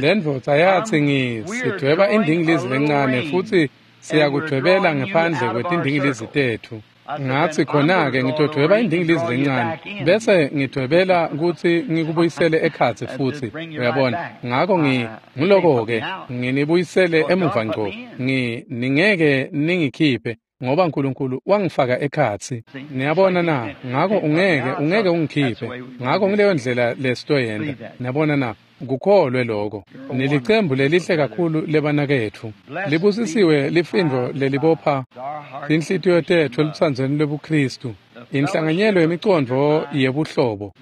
Lendvodza yatsi, ngisidweba indingilizi lencane futsi siyakudwebela ngephandle kwetindingilizi tetfu. Ngatsi, khona-ke ngitodweba indingilizi lencane bese ngidwebela kutsi ngikubuyisele ekhatsi futsi, uyabona. Ngako ngiloko-ke nginibuyisele emuva ngco. Ningeke ningikhiphe ngoba Nkulunkulu wangifaka ekhatsi. Niyabona na? Ngako ungeke ungikhiphe. Ngako ngileyo ndlela lesitoyenta. Niyabona na? Kukholwe lokho. Nilicembu lelihle kakhulu lebanaketfu. Libusisiwe lifindvo lelibopha tinhlitiyo tetfu elutsandzweni lwebuKhristu. Inhlanganyelo yemicondvo yebuhlobo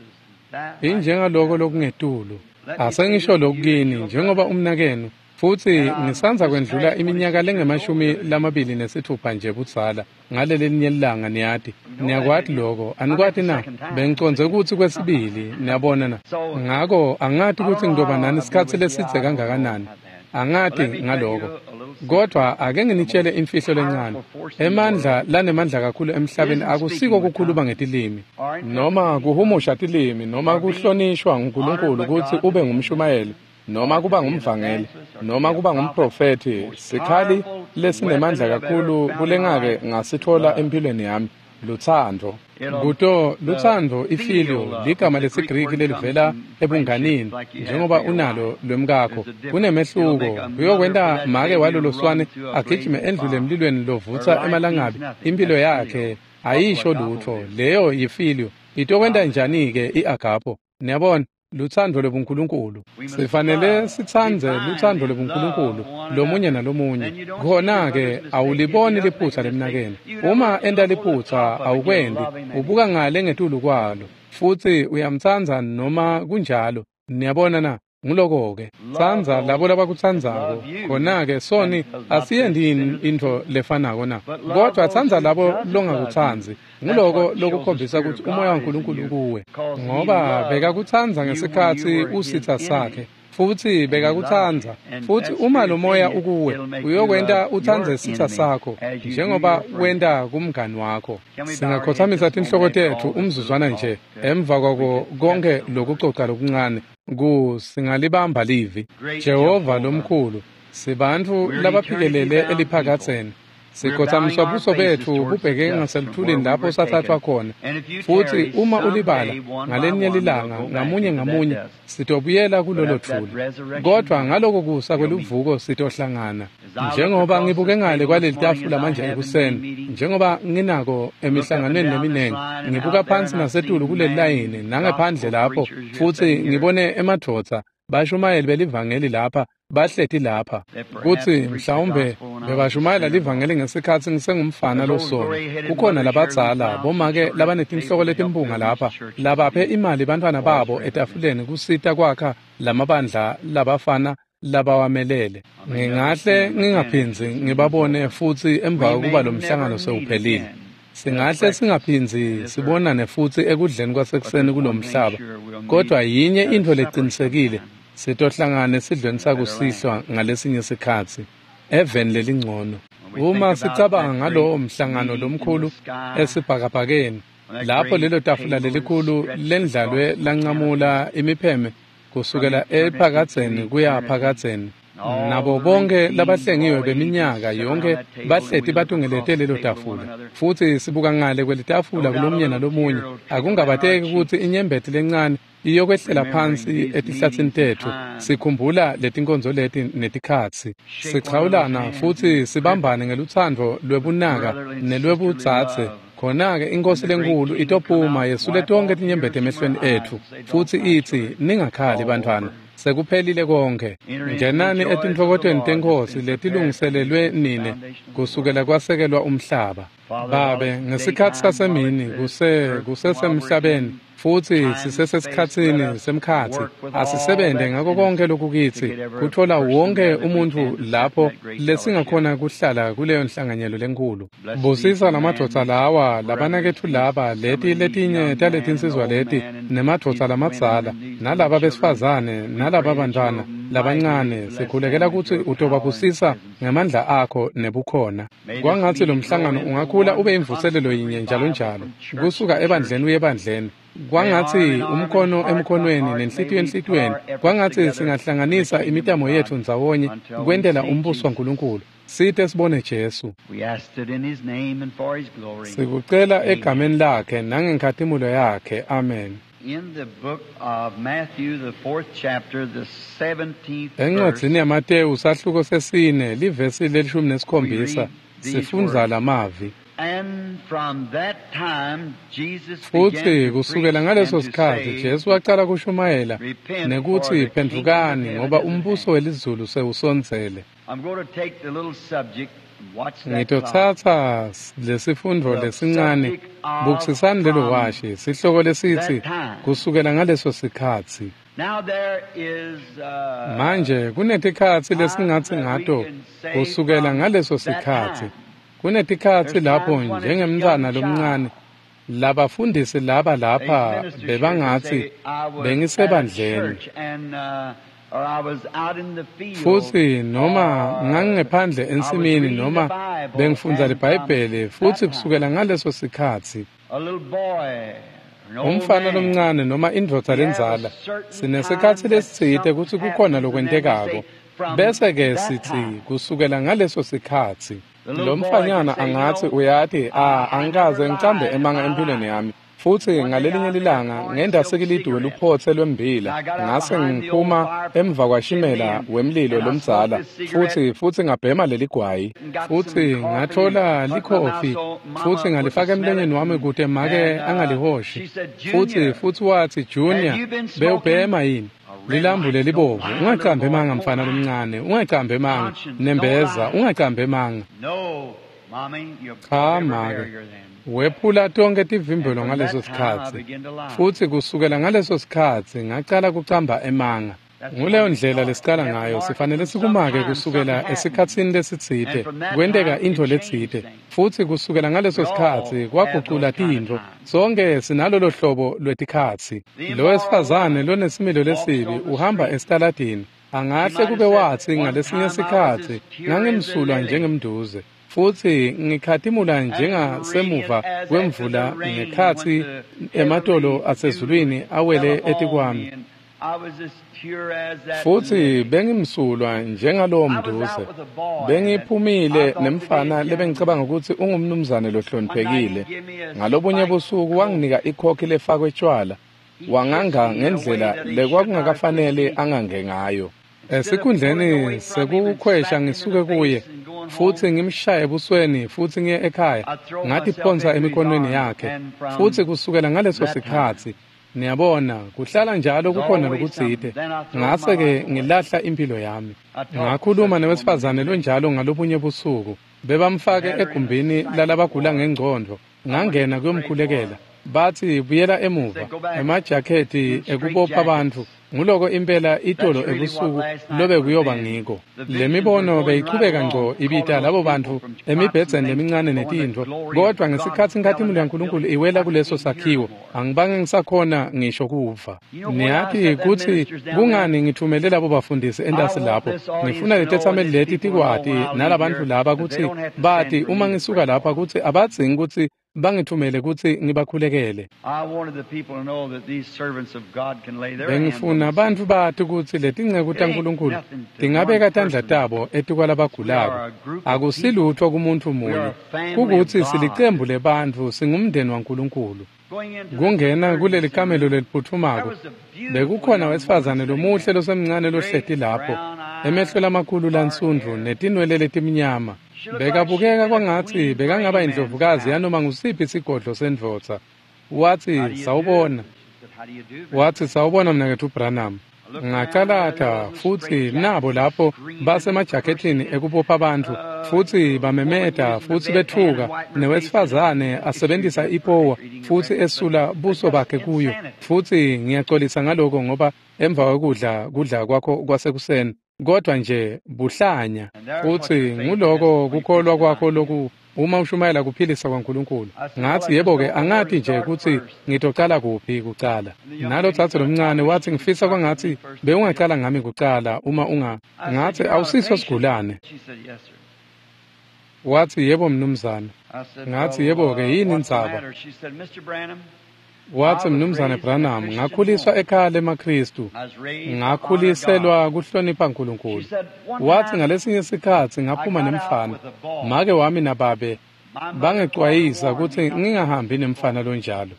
injengaloko lokungetulu. Asengisho lokhu kini njengoba umnakenu, futsi ngisandza kwendlula iminyaka lengu-26 nje budzala ngalelelinye lilanga, niyati. Niyakwati lokho, anikwati na? Bengicondze kutsi kwesibili, niyabona na. Ngako angati kutsi ngitoba nani isikhatsi lesidze kangakanani. Angati ngaloko. Kodvwa ake nginitshele imfihlo lencane. Emandla lanemandla kakhulu emhlabeni akusiko kukhuluma ngetilimi, noma kuhumusha tilimi, noma kuhlonishwa nguNkulunkulu kutsi ube ngumshumayeli, noma kuba ngumvangeli, noma kuba ngumprofethi. Sikhali lesinemandla kakhulu kulengake ngasitfola empilweni yami, lutsandvo. Kuto lutsandvo ifilio, ligama lesiGriki lelivela ebunganini, njengoba unalo lwemkakho. Kunemehluko, kuyokwenta make walolo swane agijime endlule emlilweni lovutsa emalangabi, impilo yakhe ayisho lutfo. Leyo yifilio. Itokwenta njani-ke i-agapo? Niyabona? Lutsandvo lwebuNkulunkulu. Sifanele sitsandze lutsandvo lwebuNkulunkulu lomunye nalomunye. Khona-ke awuliboni liphutsa lemnakeni. Uma enta liphutsa awukwendi, ubuka ngale ngetulu kwalo, futsi uyamtsandza noma kunjalo. Niyabona na? Nguloko-ke, tsandza labo labakutsandzako. Khona-ke soni asiyendi intfo lefanako na? Kodvwa tsandza labo longakutsandzi. Nguloko lokukhombisa kutsi umoya waNkulunkulu kuwe, ngoba bekakutsandza ngesikhatsi usitsa sakhe. Futsi bekakutsandza, futsi uma lo moya ukuwe, uyokwenta utsandze sitsa sakho njengoba wenta kumngani wakho. Singakhothamisa tinhloko tetfu umzuzwana nje emva kwako konke lokucoca lokuncane singalibamba livi. Jehova lomkhulu, sibantfu labaphikelele eliphakadzeni. Sikhothamisa buso betfu bubheke ngaseluthulini lapho sathathwa khona. Futsi uma ulibala ngalenye lilanga ngamunye ngamunye sitobuyela kulolo thuli. Kodvwa ngaloko kusa kweluvuko sitohlangana. Njengoba ngibuke ngale kwaleli tafula manje ekuseni, njengoba nginako emihlanganweni leminengi, ngibuka phansi nasetulu kuleli layini nangephandle lapho, futsi ngibone emadvodza bashumayeli belivangeli lapha bahleti lapha, kutsi mhlawumbe bebashumayela livangeli ngesikhatsi ngisengumfana losona. Kukhona labadzala bomake labanetinhloko letimpunga lapha labaphe imali bantfwana babo etafuleni kusita kwakha lamabandla labafana labawamelele. Ngingahle ngingaphindzi ngibabone futsi emva kokuba lo mhlangano sewuphelile. Singahle singaphindzi sibonane futsi ekudleni kwasekuseni kulomhlaba, kodwa yinye intfo lecinisekile, sitohlangana esidlweni sakusihlwa ngalesinye sikhatsi eveni lelingcono. Uma sicabanga ngalowo mhlangano lomkhulu esibhakabhakeni, lapho lelo tafula lelikhulu lendlalwe lancamula imipheme kusukela ephakadzeni kuya phakadzeni, nabo bonke labahlengiwe beminyaka yonke bahleti batungelete lelo tafula, futsi sibuka ngale kwelitafula kulomnye nalomunye, akungabateki kutsi inyembeti lencane iyokwehlela phansi etihlatsini tetfu. Sikhumbula letinkonzo leti netikhatsi, sichawulana futsi sibambane ngelutsandvo lwebunaka nelwebudzadze. Khona-ke inkosi lenkulu itophuma yesule tonke tinyembeti emehlweni etfu, futsi itsi, ningakhali bantfwana, sekuphelile konke. Ngenani etintfokotweni teNkhosi letilungiselelwe nine kusukela kwasekelwa umhlaba. Babe, ngesikhatsi sasemini kusesemhlabeni, futsi sisesesikhatsini semkhatsi, asisebente ngako konke lokukitsi kutfola wonke umuntfu lapho lesingakhona kuhlala kuleyo nhlanganyelo lenkulu. Busisa lamadvodza lawa, labanaketfu laba, leti letinye taletinsizwa leti, nemadvodza lamadzala, nalaba besifazane, nalaba bantfwana labancane. Sikhulekela kutsi utobabusisa ngemandla akho nebukhona. Kwangatsi lo mhlangano ungakhula ube imvuselelo yinye njalo njalo, kusuka ebandleni uye ebandleni. Kwangatsi umkhono emkhonweni nenhlitiyo enhlitiyweni, kwangatsi singahlanganisa imitamo yetfu ndzawonye kwentela umbuso waNkulunkulu, site sibone Jesu. Sikucela egameni lakhe nangenkhatimulo yakhe. Amen. Encwadzini yaMatewu sahluko sesine livesi le-17 sifundza lamavi. Futsi kusukela ngaleso sikhatsi Jesu wacala kushumayela nekutsi, phendvukani ngoba umbuso welizulu sewusondzele. Ngitotsatsa lesifundvo lesincane, bukisisani lelo washi, sihloko lesitsi kusukela ngaleso sikhatsi. Manje kunetikhatsi lesingatsi ngato kusukela ngaleso sikhatsi. Kunetikhatsi lapho njengemntfwana lomncane, labafundisi laba lapha bebangatsi bengisebandleni, futsi noma ngangingephandle ensimini noma bengifundza liBhayibheli, futsi kusukela ngaleso sikhatsi umfana lomncane noma indvodza lendzala, sinesikhatsi lesitsite kutsi kukhona lokwentekako, bese-ke sitsi kusukela ngaleso sikhatsi. Lo mfanyana angatsi, uyati, angikaze ngicambe emanga empilweni yami. Futsi ngalelinye lilanga ngenda sikilidi weluphotse lwembila, ngase ngiphuma emva kwashimela wemlilo lomdzala, futsi ngabhema leligwayi, futsi ngatfola likhofi, futsi ngalifaka emlonyeni wami kute make angalihoshi. Futsi watsi, Junior, bewubhema yini? Lilambu lelibovu, ungacambi emanga mfana lomncane, ungacambi emanga, nembeza, ungacambi emanga. Cha make, wephula tonke tivimbelo ngaleso sikhatsi. Futsi kusukela ngaleso sikhatsi ngacala kucamba emanga. Nguleyo ndlela lesiqala ngayo, sifanele sikumake kusukela esikhatsini lesitsite, kwenteka intfo letsite, futsi kusukela ngaleso sikhatsi kwagucula tintfo. Sonke sinalolo hlobo lwetikhatsi. Lo wesifazane lonesimilo lesibi uhamba esitaladini, angahle kube watsi ngalesinye sikhatsi ngangimsulwa njengemnduze, futsi ngikhatimula njengasemuva kwemvula ngekhatsi ematolo asezulwini awele etikwami. Futsi bengimsulwa njengalowo mnduze. Bengiphumile nemfana lebengicabanga ukuthi ungumnumzane lohloniphekile. Ngalobunye busuku wanginika ikhokhi lefakwe tshwala, wanganga ngendlela lekwakungakafanele angange ngayo. Esikhundleni sekukhwesha ngisuke kuye futsi ngimshaye ebusweni futsi ngiye ekhaya, ngatiphonsa emikhonweni yakhe. Futsi kusukela ngaleso sikhatsi, niyabona, kuhlala njalo kukhona lokutsite. Ngase-ke ngilahla impilo yami. Ngakhuluma newesifazane lonjalo ngalobunye busuku. Bebamfake egumbini lalabagula ngengcondvo. Ngangena kuyomkhulekela. Batsi buyela emuva, emajakhethi ekubopha bantfu. Nguloko impela itolo ebusuku lobe kuyoba ngiko. Le mibono beyichubeka ngco ibita labo bantfu emibhedzeni lemincane netintfo, kodvwa ngesikhatsi inkhatimulo yaNkulunkulu iwela kuleso sakhiwo, angibange ngisakhona ngisho kuva. Niyati kutsi kungani ngithumele labo bafundisi entasi lapho. Ngifuna letetsameli leti tikwati nalabantfu laba kutsi bati uma ngisuka lapha kutsi abadzingi kutsi bangithumele kutsi ngibakhulekele. Bengifuna bantfu bati kutsi letinceku taNkulunkulu tingabeka tandla tabo etikwalabagulako. Akusilutfo kumuntfu munye, kukutsi silicembu lebantfu, singumndeni waNkulunkulu. Kungena kuleli kamelo leliphutfumako, bekukhona wesifazane lomuhle losemncane lohleti lapho, emehlo lamakhulu lansundvu netinwele letimnyama. Bekabukeka kwangatsi bekangaba indlovukazi yanoma ngusiphi sigodlo sendvodza. Watsi, sawubona. Watsi, sawubona mnaketfu Branham. Ngacalata futsi nabo lapho basemajakethini ekubopha bantfu, futsi bamemeta futsi betfuka, newesifazane asebentisa ipowa futsi esula buso bakhe kuyo. Futsi ngiyaxolisa ngaloko ngoba emva kwekudla kudla kwakho kwasekuseni, kodwa nje buhlanya. Futsi nguloko kukholwa kwakho loku uma ushumayela kuphilisa kwaNkulunkulu. Ngathi yebo-ke, angati nje kutsi ngitocala kuphi kucala. Nalo dzadze lomncane wathi, ngifisa kwangatsi bewungacala ngami kucala uma unga. Ngathi awusiso sigulane. Wathi yebo mnumzane. Ngathi yebo-ke, yini indzaba? Wathi mnumzane Branham, ngakhuliswa ekhaya lemaKhristu, ngakhuliselwa kuhlonipha uNkulunkulu. Wathi ngalesinye sikhatsi ngaphuma nemfana, make wami nababe bangecwayisa kutsi ngingahambi nemfana lonjalo.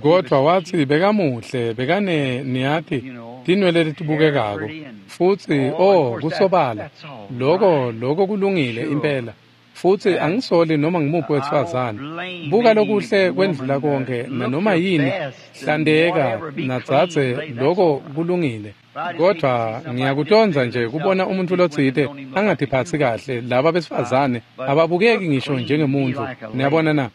Kodvwa wathi bekamuhle, bekane niyati tinwele letibukekako, futsi oh kusobala, loko kulungile impela. Futsi angisoli noma ngimuphi wesifazane. Buka lokuhle kwendlula konke nanoma yini, hlandeka nadzadze, loko kulungile. Kodvwa ngiyakutondza nje kubona umuntfu lotsite angatiphatsi kahle. Laba besifazane ababukeki ngisho njengemuntfu. Niyabona na?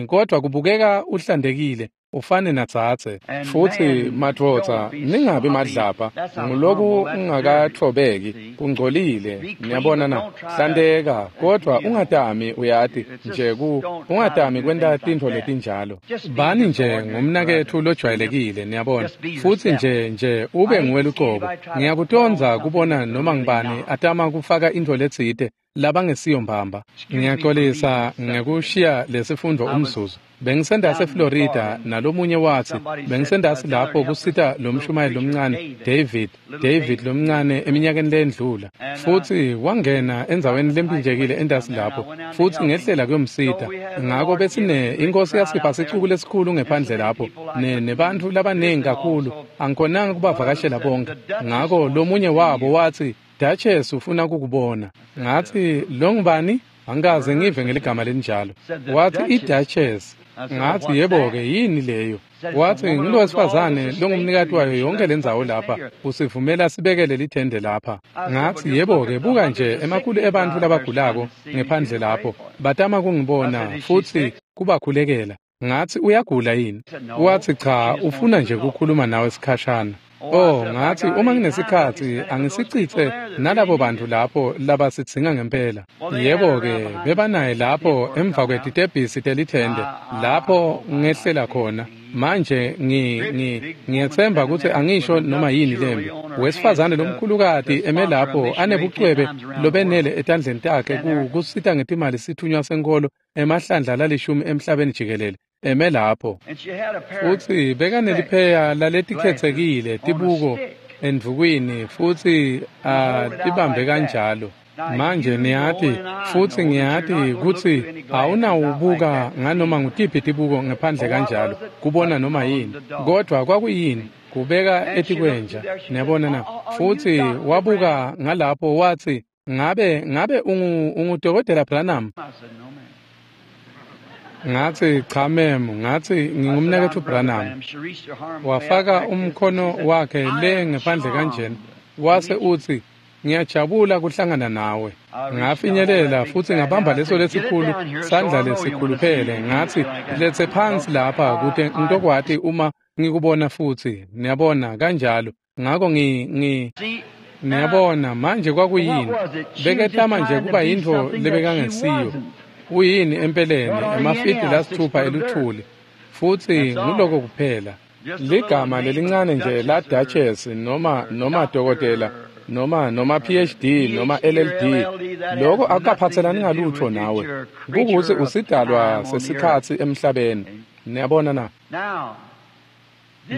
Kodvwa kubukeka uhlandekile, ufane nadzadze. Futsi madvodza, ningabi madlapha, nguloku ungakatfobeki, kungcolile. Niyabona na? Hlandeka, kodvwa ungatami, uyati nje ungatami kwenta tintfo letinjalo. Bani nje ngumnaketfu lojwayelekile, niyabona. Futsi nje ube nguwe lucobo. Ngiyakutondza kubona noma ngibani atama kufaka intfo letsite labangesiyo mbamba. Ngiyaxolisa ngekushiya lesifundvo umzuzu. Bengisendasi eFlorida nalomunye watsi bengisendasi lapho kusita lo mshumayeli lomncane David lomncane eminyakeni lendlula, futsi wangena endzaweni lempinjekile endasi lapho, futsi ngehlela kuyomsita. Ngako besine inkosi yasipha sicuku lesikhulu ngephandle lapho nebantfu labaningi kakhulu, angikhonanga kubavakashela bonke. Ngako lomunye wabo watsi, Duchess ufuna kukubona. Ngathi lo ngubani? Angikaze ngive ngeligama lelinjalo. Wathi i-Duchess. Ngathi yebo-ke, yini leyo? Wathi ngilowesifazane longumnikati wayo yonke lendzawo lapha, usivumela sibekele lithende lapha. Ngathi yebo-ke, buka nje emakhulu ebantfu labagulako ngephandle lapho, batama kungibona futsi kubakhulekela. Ngathi uyagula yini? Wathi cha, ufuna nje kukhuluma nawe sikhashana. Oh, ngathi uma nginesikhathi angisichithe nalabo bantu lapho labasidzinga ngempela. Yebo-ke, bebanaye lapho emva kwetitebhisi telithende, lapho ngehlela khona. Manje ngiyethemba ukuthi angisho noma yini lembi. Wesifazane lomkhulukati eme lapho anebucwebe lobenele etandleni takhe kusita ngetimali sithunywa senkolo emahlandla lalishumi emhlabeni jikelele. Eme lapho. Futhi bekanelipheya laletikhethekile tibuko endvukwini futhi atibambe kanjalo. Manje niyati futhi ngiyati ukuthi awunawubuka nganoma ngutiphi tibuko ngaphandle kanjalo kubona noma yini, kodwa kwakuyini kubeka etikwenja, niyabona na? Futhi wabuka ngalapho wathi, ngabe ungudokotela Branham? Ngathi cha mem, ngathi ngingumnaketfu Branham. Wafaka umkhono wakhe le ngephandle kanjena, wase uthi, ngiyajabula kuhlangana nawe. Ngafinyelela futhi ngabamba leso lesikhulu sandla lesikhuluphele, ngathi lethe phansi lapha kude ngitokwati uma ngikubona futhi, niyabona kanjalo. Ngakho niyabona manje kwakuyini, beketama nje kuba yintfo lebekangesiyo. Uyini empeleni emafidi lasithupha eluthuli, futhi nguloko kuphela. Ligama lelincane nje la Duchess noma dokotela noma PhD noma LLD, lokho akukaphathelani ngalutho nawe, kukuthi usidalwa sesikhathi emhlabeni, niyabona na?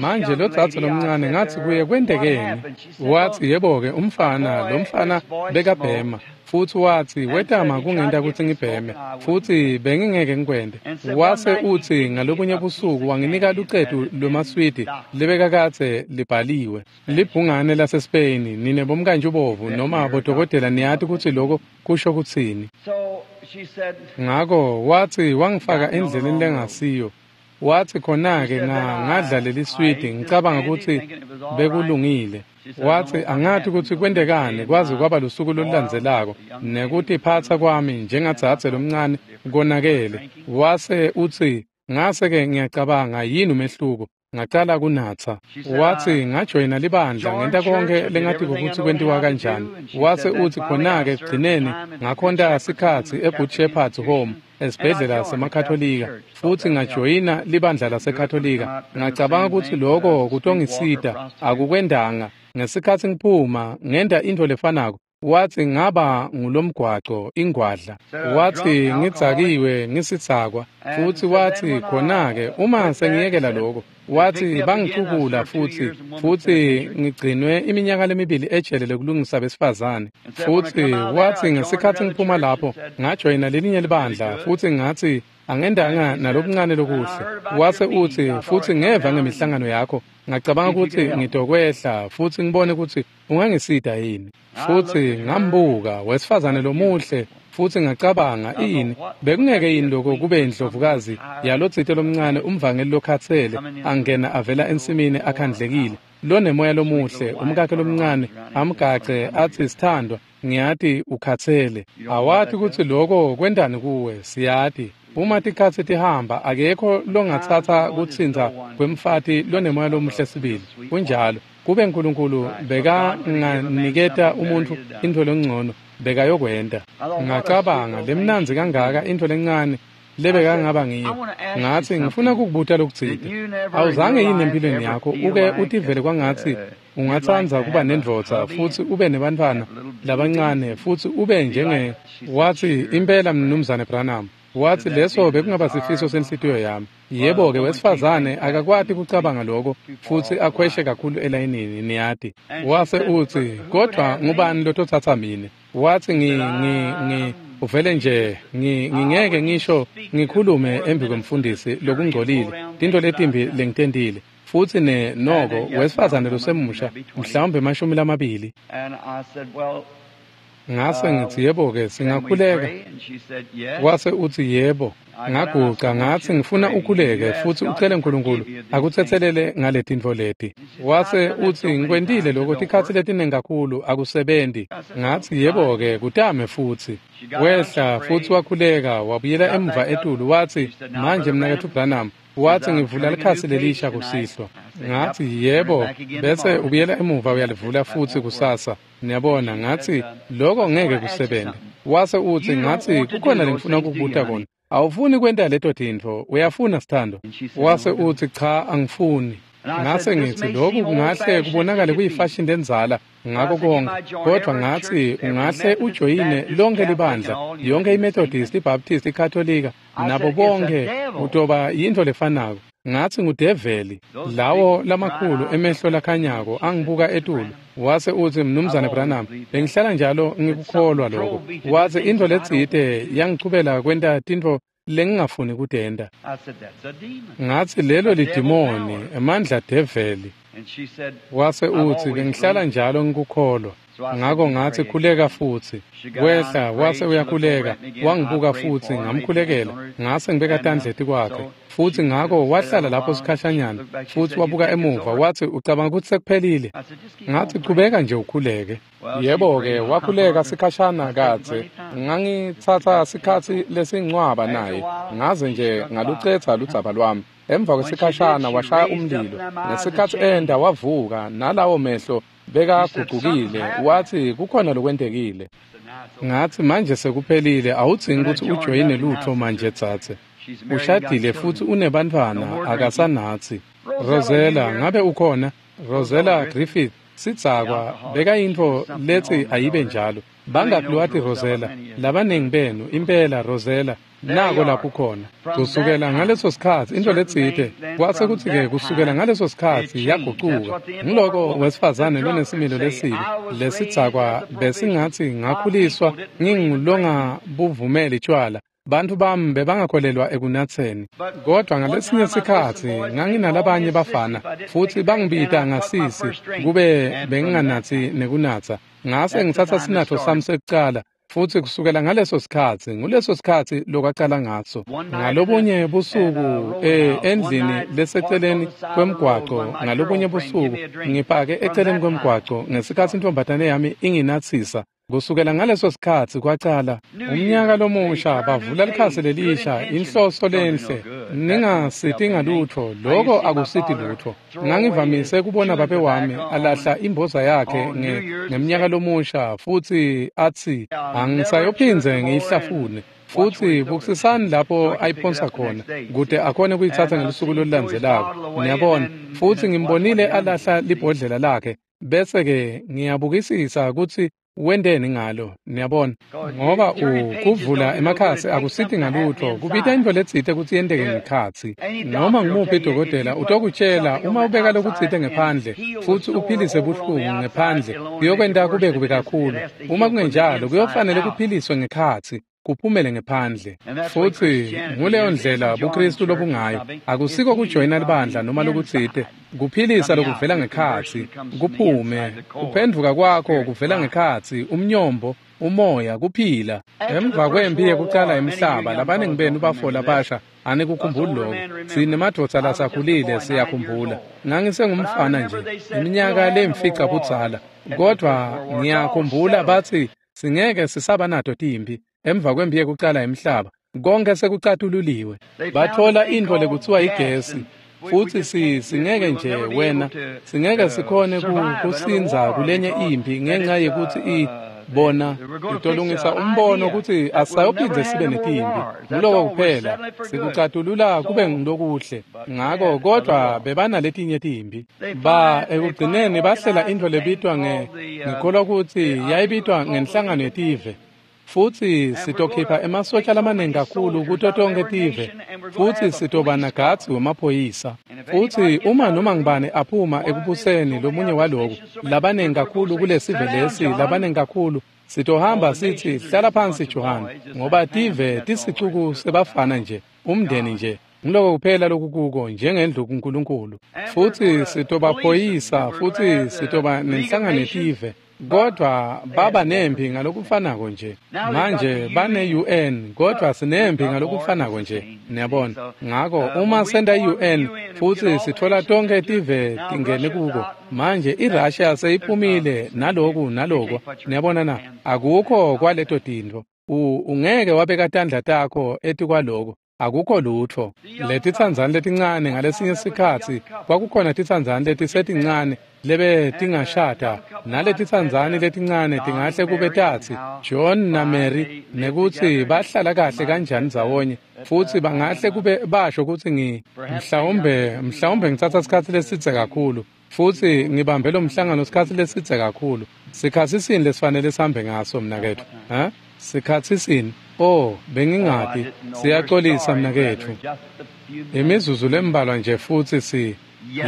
Manje lo dzadze lomncane ngathi kuye kwentekeni? Wathi yebo-ke umfana, lo mfana bekabhema, futhi wathi wetama kungenta ukuthi ngibheme, futhi bengingeke ngikwente. Wase uthi ngalobunye busuku wanginika lucetu lwemaswidi lebekakadze libhaliwe, libhungane laseSpain. Nine bomkantshi bovu noma bodokotela niyati ukuthi lokho kusho kutsini. Ngako wathi wangifaka endleleni lengasiyo. Wathi khona-ke ngadla leli swidi ngicabanga ukuthi bekulungile. Wathi angathi ukuthi kwentekani kwaze kwaba lusuku lolulandzelako nekutiphatsa kwami njengadzadze lomncane konakele. Wase uthi ngase-ke ngiyacabanga yini umehluko, ngacala kunatsa. Wathi ngajoyina libandla ngenta konke lengatiko ukuthi kwentiwa kanjani. Wase uthi khona-ke ekugcineni ngakhonta sikhatsi eGood Shepherd's Home esibhedlela semaKatolika, futhi ngajoyina libandla laseKatolika. Ngacabanga ukuthi lokho kutongisita, akukwendanga. Ngesikhathi ngiphuma ngenta intfo lefanako. Wathi ngaba ngulomgwaco ingwadla. Wathi ngidzakiwe ngisitsakwa, futhi wathi khona-ke uma sengiyekela lokho, wathi bangicukula futhi ngigcinwe iminyaka lemibili ejele lokulungisa besifazane. Futhi wathi ngesikhathi ngiphuma lapho ngajoyina lelinye libandla, futhi ngathi angendanga nalokuncane lokuhle. Wase uthi futhi ngeva ngemihlangano yakho, ngacabanga ukuthi ngitokwehla futhi ngibone ukuthi ungangisida yini. Futhi ngambuka wesifazane lomuhle, futhi ngacabanga ini bekungeke yini lokho kube indlovukazi yalotsite lomncane umvangeli lokhathele angena avela ensimini akhandlekile lonemoya lomuhle, umkakhe lomncane amgace athi sithandwa ngiyati ukhathele. Awati ukuthi lokho kwendani kuwe, siyati. Uma tikhatsi tihamba akekho longatsatsa kutsintsa kwemfati lonemoya lomuhle sibili. Kunjalo, kube uNkulunkulu bekanganiketa umuntu intfo lengcono bekayokwenta. Ngacabanga lemnandzi kangaka intfo lencane lebekangaba ngiyo. Ngathi ngifuna ukukubuta lokutsite. Awuzange yini empilweni yakho uke utivele kwangathi ungatsandza kuba nendvodza futhi ube nebantfwana labancane futhi ube njenge? Wathi impela mnumzane Branham. Wathi leso bekungaba sifiso senhlitiyo yami. Yebo-ke wesifazane akakwati kucabanga lokho futhi akhweshe kakhulu elayinini, niyati. Wase uthi kodwa ngubani lotothatha mina? Wathi uvele nje ngingeke ngisho ngikhulume embi kwemfundisi lokungcolile, tintfo letimbi lengitentile. Futhi noko wesifazane losemusha mhlawumbe 20. Ngase ngithi yebo-ke singakhuleka. Wase uthi yebo. Ngaguca ngathi ngifuna ukhuleke futhi ucele uNkulunkulu akuthethelele ngaletintfo leti. Wase uthi ngikwentile lokho tikhatsi letiningi kakhulu akusebenzi. Ngathi yebo-ke kutame futhi. Wehla futhi wakhuleka wabuyela emuva etulu wathi manje mnaketfu Branham, wathi ngivula likhasi lelisha kusihlwa. Ngathi, yebo, bese ubuyela emuva uyalivula futhi kusasa. Niyabona, ngathi, lokho ngeke kusebenze. Wase uthi, ngathi, kukhona lengifuna ukukubuta kona. Awufuni kwenta leto tintfo, uyafuna sithando? Wase uthi, cha, angifuni. Ngase ngithi, lokhu kungahle kubonakale kuyifashini lenzala ngako konke, kodwa ngathi ungahle ujoyine lonke libandla, yonke iMethodist, iBaptist, iKatolika, nabo bonke utoba yintfo lefanako. Ngathi ngudeveli, lawo lamakhulu emehlo lakhanyako angibuka etulu. Wase uthi, Mnumzane Branham, bengihlala njalo ngikukholwa lokho. Wathi intfo letsite yangichubela kwenta tintfo lengingafuni kutenta. Ngathi lelo lidimoni, emandla develi. Wase uthi, bengihlala njalo ngikukholwa. Ngako ngathi khuleka futhi. Wehla wase uyakhuleka, wangibuka futhi ngamkhulekela. Ngase ngibeka tandla etikwakhe. Futhi ngako wahlala lapho sikhashanyana, futhi wabuka emuva wathi, ucabanga ukuthi sekuphelile? Ngathi chubeka nje ukhuleke. Yebo-ke, wakhuleka sikhashana kadze. Ngangitsatsa sikhatsi lesincwaba naye, ngaze nje ngalucetha ludzaba lwami. Emva kwesikhashana washaya umlilo. Ngesikhatsi enda wavuka nalawo mehlo bekaguqukile, wathi kukhona lokwentekile. Ngathi manje sekuphelile, awudzingi ukuthi ujoyine lutho manje dzadze. Ushadile futhi unebantfwana, akasanathi. Rosella, ngabe ukhona? Rosella Griffith, sidzakwa, bekayintfo lethi ayibe njalo. Bangaki lowati Rosella? Labaningi benu, impela Rosella, nako lapho ukhona. Kusukela ngaleso sikhatsi into letsite, kwase kutsi-ke kusukela ngaleso sikhatsi yagucuka. Ngiloko wesifazane lonesimilo lesibi, lesidzakwa besingatsi ngakhuliswa ngingulongabuvumeli tshwala. Bantfu bami bebangakholelwa ekunatseni. Kodwa ngalesinye sikhatsi nganginalabanye bafana futhi bangibita ngasisi kube benginganatsi nekunatsa. Ngase ngitsatsa sinatfo sami sekucala, futhi kusukela ngaleso sikhatsi, nguleso sikhatsi lokwacala ngaso. Ngalobunye busuku endlini leseceleni kwemgwaco, ngalobunye busuku ngipake eceleni kwemgwaco ngesikhatsi intombatane yami inginatsisa. Kusukela ngaleso sikhatsi kwacala umnyaka lomusha, bavula likhasi lelisha, inhloso lenhle, ningasiti ngalutho, lokho akusiti lutho. Ngangivamise kubona babe wami alahla imboza yakhe ngemnyaka lomusha futhi athi, angisayophindze ngiyihlafune. Futhi bukusisani lapho ayiphonsa khona, kude akhone kuyitsatsa ngelusuku lolulandzelako. Niyabona, futhi ngimbonile alahla libhodlela lakhe, bese-ke ngiyabukisisa ukuthi wenteni ngalo, niyabona, ngoba kuvula emakhasi akusiti ngalutho, kubita intfo letsite kutsi yenteke ngekhatsi. Noma ngumuphi dokotela utokutshela uma ubeka lokutsite ngephandle futhi uphilise buhlungu ngephandle, kuyokwenta kube kubi kakhulu. Uma kungenjalo, kuyofanele kuphiliswe ngekhatsi, kuphumele ngephandle. Futhi nguleyo ndlela buKristu lobungayo. Akusiko kujoyina libandla noma lokutsite, kuphilisa lokuvela ngekhatsi, kuphume, kuphendvuka kwakho kuvela ngekhatsi, umnyombo, umoya, kuphila. Emva kwempi yekucala emhlaba, labaningi benu bafola basha, anikukhumbuli lokho. Sinemadvodza lasakhulile siyakhumbula. Ngangisengumfana nje, iminyaka lemfica budzala, kodwa ngiyakhumbula bathi singeke sisaba nato timpi. Emva kwempi yekucala emhlaba, konke sekucatululiwe. Bathola intfo lekuthiwa igesi, futhi singeke nje wena, singeke sikhone kusindza kulenye impi ngenxa yekuthi bona itolungisa umbono ukuthi asayophindze sibe netimpi. Nguloko kuphela, sikucatulula kube ngilokuhle. Ngako kodwa bebanaletinye timpi. Ba ekugcineni bahlela intfo lebitwa ngikholwa kutsi yayibitwa ngenhlangano yetive. Futhi sitokhipha emasotja lamaningi kakhulu kuto tonke tive, futhi sitoba nagadzi wemaphoyisa. Futhi uma noma ngibani aphuma ekubuseni lomunye waloku, labaningi kakhulu kulesive lesi, labaningi kakhulu, sitohamba sithi hlala phansi Johan, ngoba tive tisicuku sebafana nje, umndeni nje. Ngiloko kuphela lokukuko njengendlu kuNkulunkulu. Futhi sitobaphoyisa, futhi sitoba nenhlangano yetive. Kodwa baba nempi ngalokufanako nje. Manje bane-UN, kodwa sinempi ngalokufanako nje, niyabona. Ngako uma senta i-UN futhi sithola tonke tive tingene kuko, manje iRussia seyiphumile naloku naloko, niyabona na, akukho kwaleto tintfo. Ungeke wabeka tandla takho etikwaloko. Akukho lutfo. Letitsandzani letincane ngalesinye sikhatsi kwakukhona titsandzani letisetincane lebe tingashada, naletitsandzani letincane tingahle kube tatsi John naMary nekutsi bahlala kahle kanjani ndzawonye, futsi bangahle kube basho kutsi mhlawumbe ngitsatsa sikhatsi lesidze kakhulu futsi ngibambe lo mhlangano sikhatsi lesidze kakhulu. Sikhatsi sini lesifanele sihambe ngaso mnaketfu? Sikhatsi sini? Oh, bengingati. Siyaxolisa mnaketfu. Imizuzu lembalwa nje futsi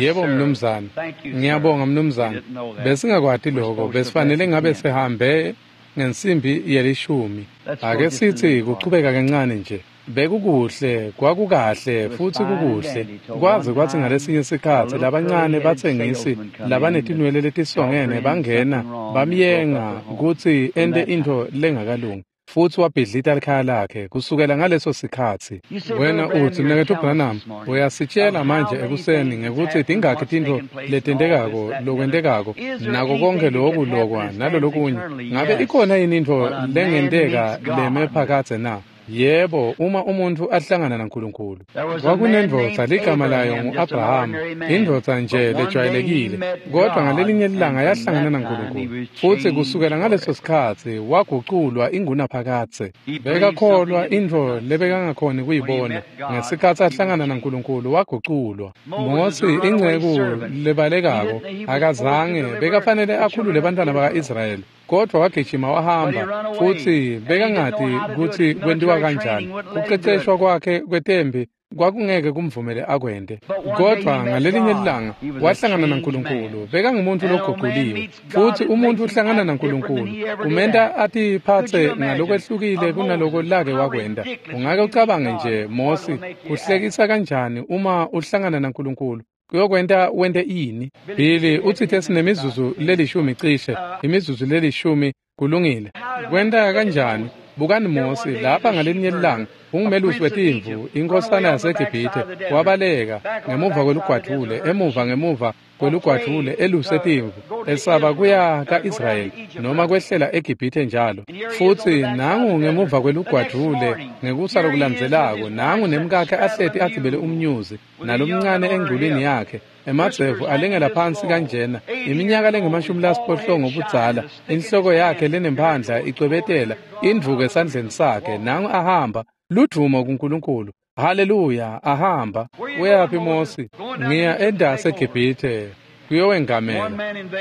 Yebo mnumzane. Ngiyabonga mnumzane. Besingakwati lokho. Besifanele ngabe sihambe ngensimbi yelishumi. Ake sithi kuchubeka kancane nje. Bekukuhle, kwakukahle futsi kukuhle. Kwaze kwathi ngalesinye sikhatsi labancane batsengisi labanetinwele letisongene bangena bamyenga kutsi ente intfo lengakalungi. Futsi wabhidlita likhaya lakhe kusukela ngaleso sikhatsi. Wena utsi mnaketfu Branham, uyasitshela manje ekuseni ngekutsi tingakhi tintfo letentekako lokwentekako nako konke loku lokwa nalolokunye. Ngabe ikhona yini intfo lengenteka leme phakadze na? Yebo, uma umuntfu ahlangana naNkulunkulu. Kwakunendvodza ligama layo ngu-Abrahama, indvodza nje lejwayelekile, kodwa ngalelinye ilanga yahlangana naNkulunkulu. Futsi kusukela ngaleso sikhatsi waguculwa ingunaphakadze. Bekakholwa intfo lebekangakhoni kuyibona. Ngesikhatsi ahlangana naNkulunkulu waguculwa. Mosi, inceku lebalekako, akazange bekafanele akhulule bantwana baka-Israyeli. Kodwa wagijima wahamba futsi bekangati kutsi kwentiwa kanjani. Kuqeqeshwa kwakhe kwetembi kwakungeke kumvumele akwente. Kodwa ngalelinye ilanga wahlangana naNkulunkulu. Bekangumuntu loguquliwe. Futsi umuntu uhlangana naNkulunkulu kumenta atiphatse ngalokwehlukile kunaloko lake wakwenta. Ungake ucabange nje Mosi kuhlekisa kanjani uma uhlangana naNkulunkulu? Kuyokwenta wente ini? Billy utsithe sinemizuzu lelishumi cishe, imizuzu lelishumi kulungile. Kwenta kanjani? Bukani Mosi lapha ngalelinye ilanga ungumelusi wetimvu, inkosana yaseGibhithe, wabaleka ngemuva kwelugwadvule, emuva kwelugwadvule eluse timvu, esaba kuya ka-Israyeli noma kwehlela eGibhithe njalo. Futsi nangu ngemuva kwelugwadvule ngekusa lokulandzelako, nangu nemkakhe ahleti agibele umnyuzi nalomncane engculwini yakhe, emadzevu alengela phansi kanjena, iminyaka lengu-18 budzala, inhloko yakhe lenemphandla icwebetela, indvuku esandleni sakhe, nangu ahamba. Ludvumo kuNkulunkulu. Haleluya, ahamba. Uyaphi Mosi? Ngiya endase eGibhithe kuyowengamela.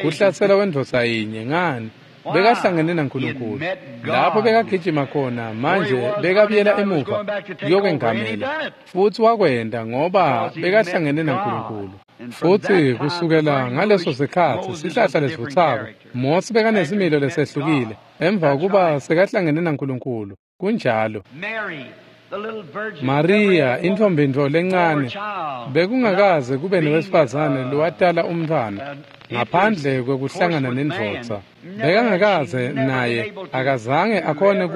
Kuhlasela kwendvodza yinye ngani? Bekahlangene naNkulunkulu. Lapho bekagijima khona manje bekabuyela emuva kuyokwengamela. Futsi wakwenta ngoba bekahlangene naNkulunkulu. Futsi kusukela ngaleso sikhatsi sihlahla lesivutsako, Mosi bekanesimilo lesehlukile emva kokuba sekahlangene naNkulunkulu. Kunjalo. Maria, intfombi-ntfo lencane, bekungakaze kube nowesifazane lowatala umntfwana ngaphandle kwekuhlangana nendvodza. Bekangakaze naye akazange akhone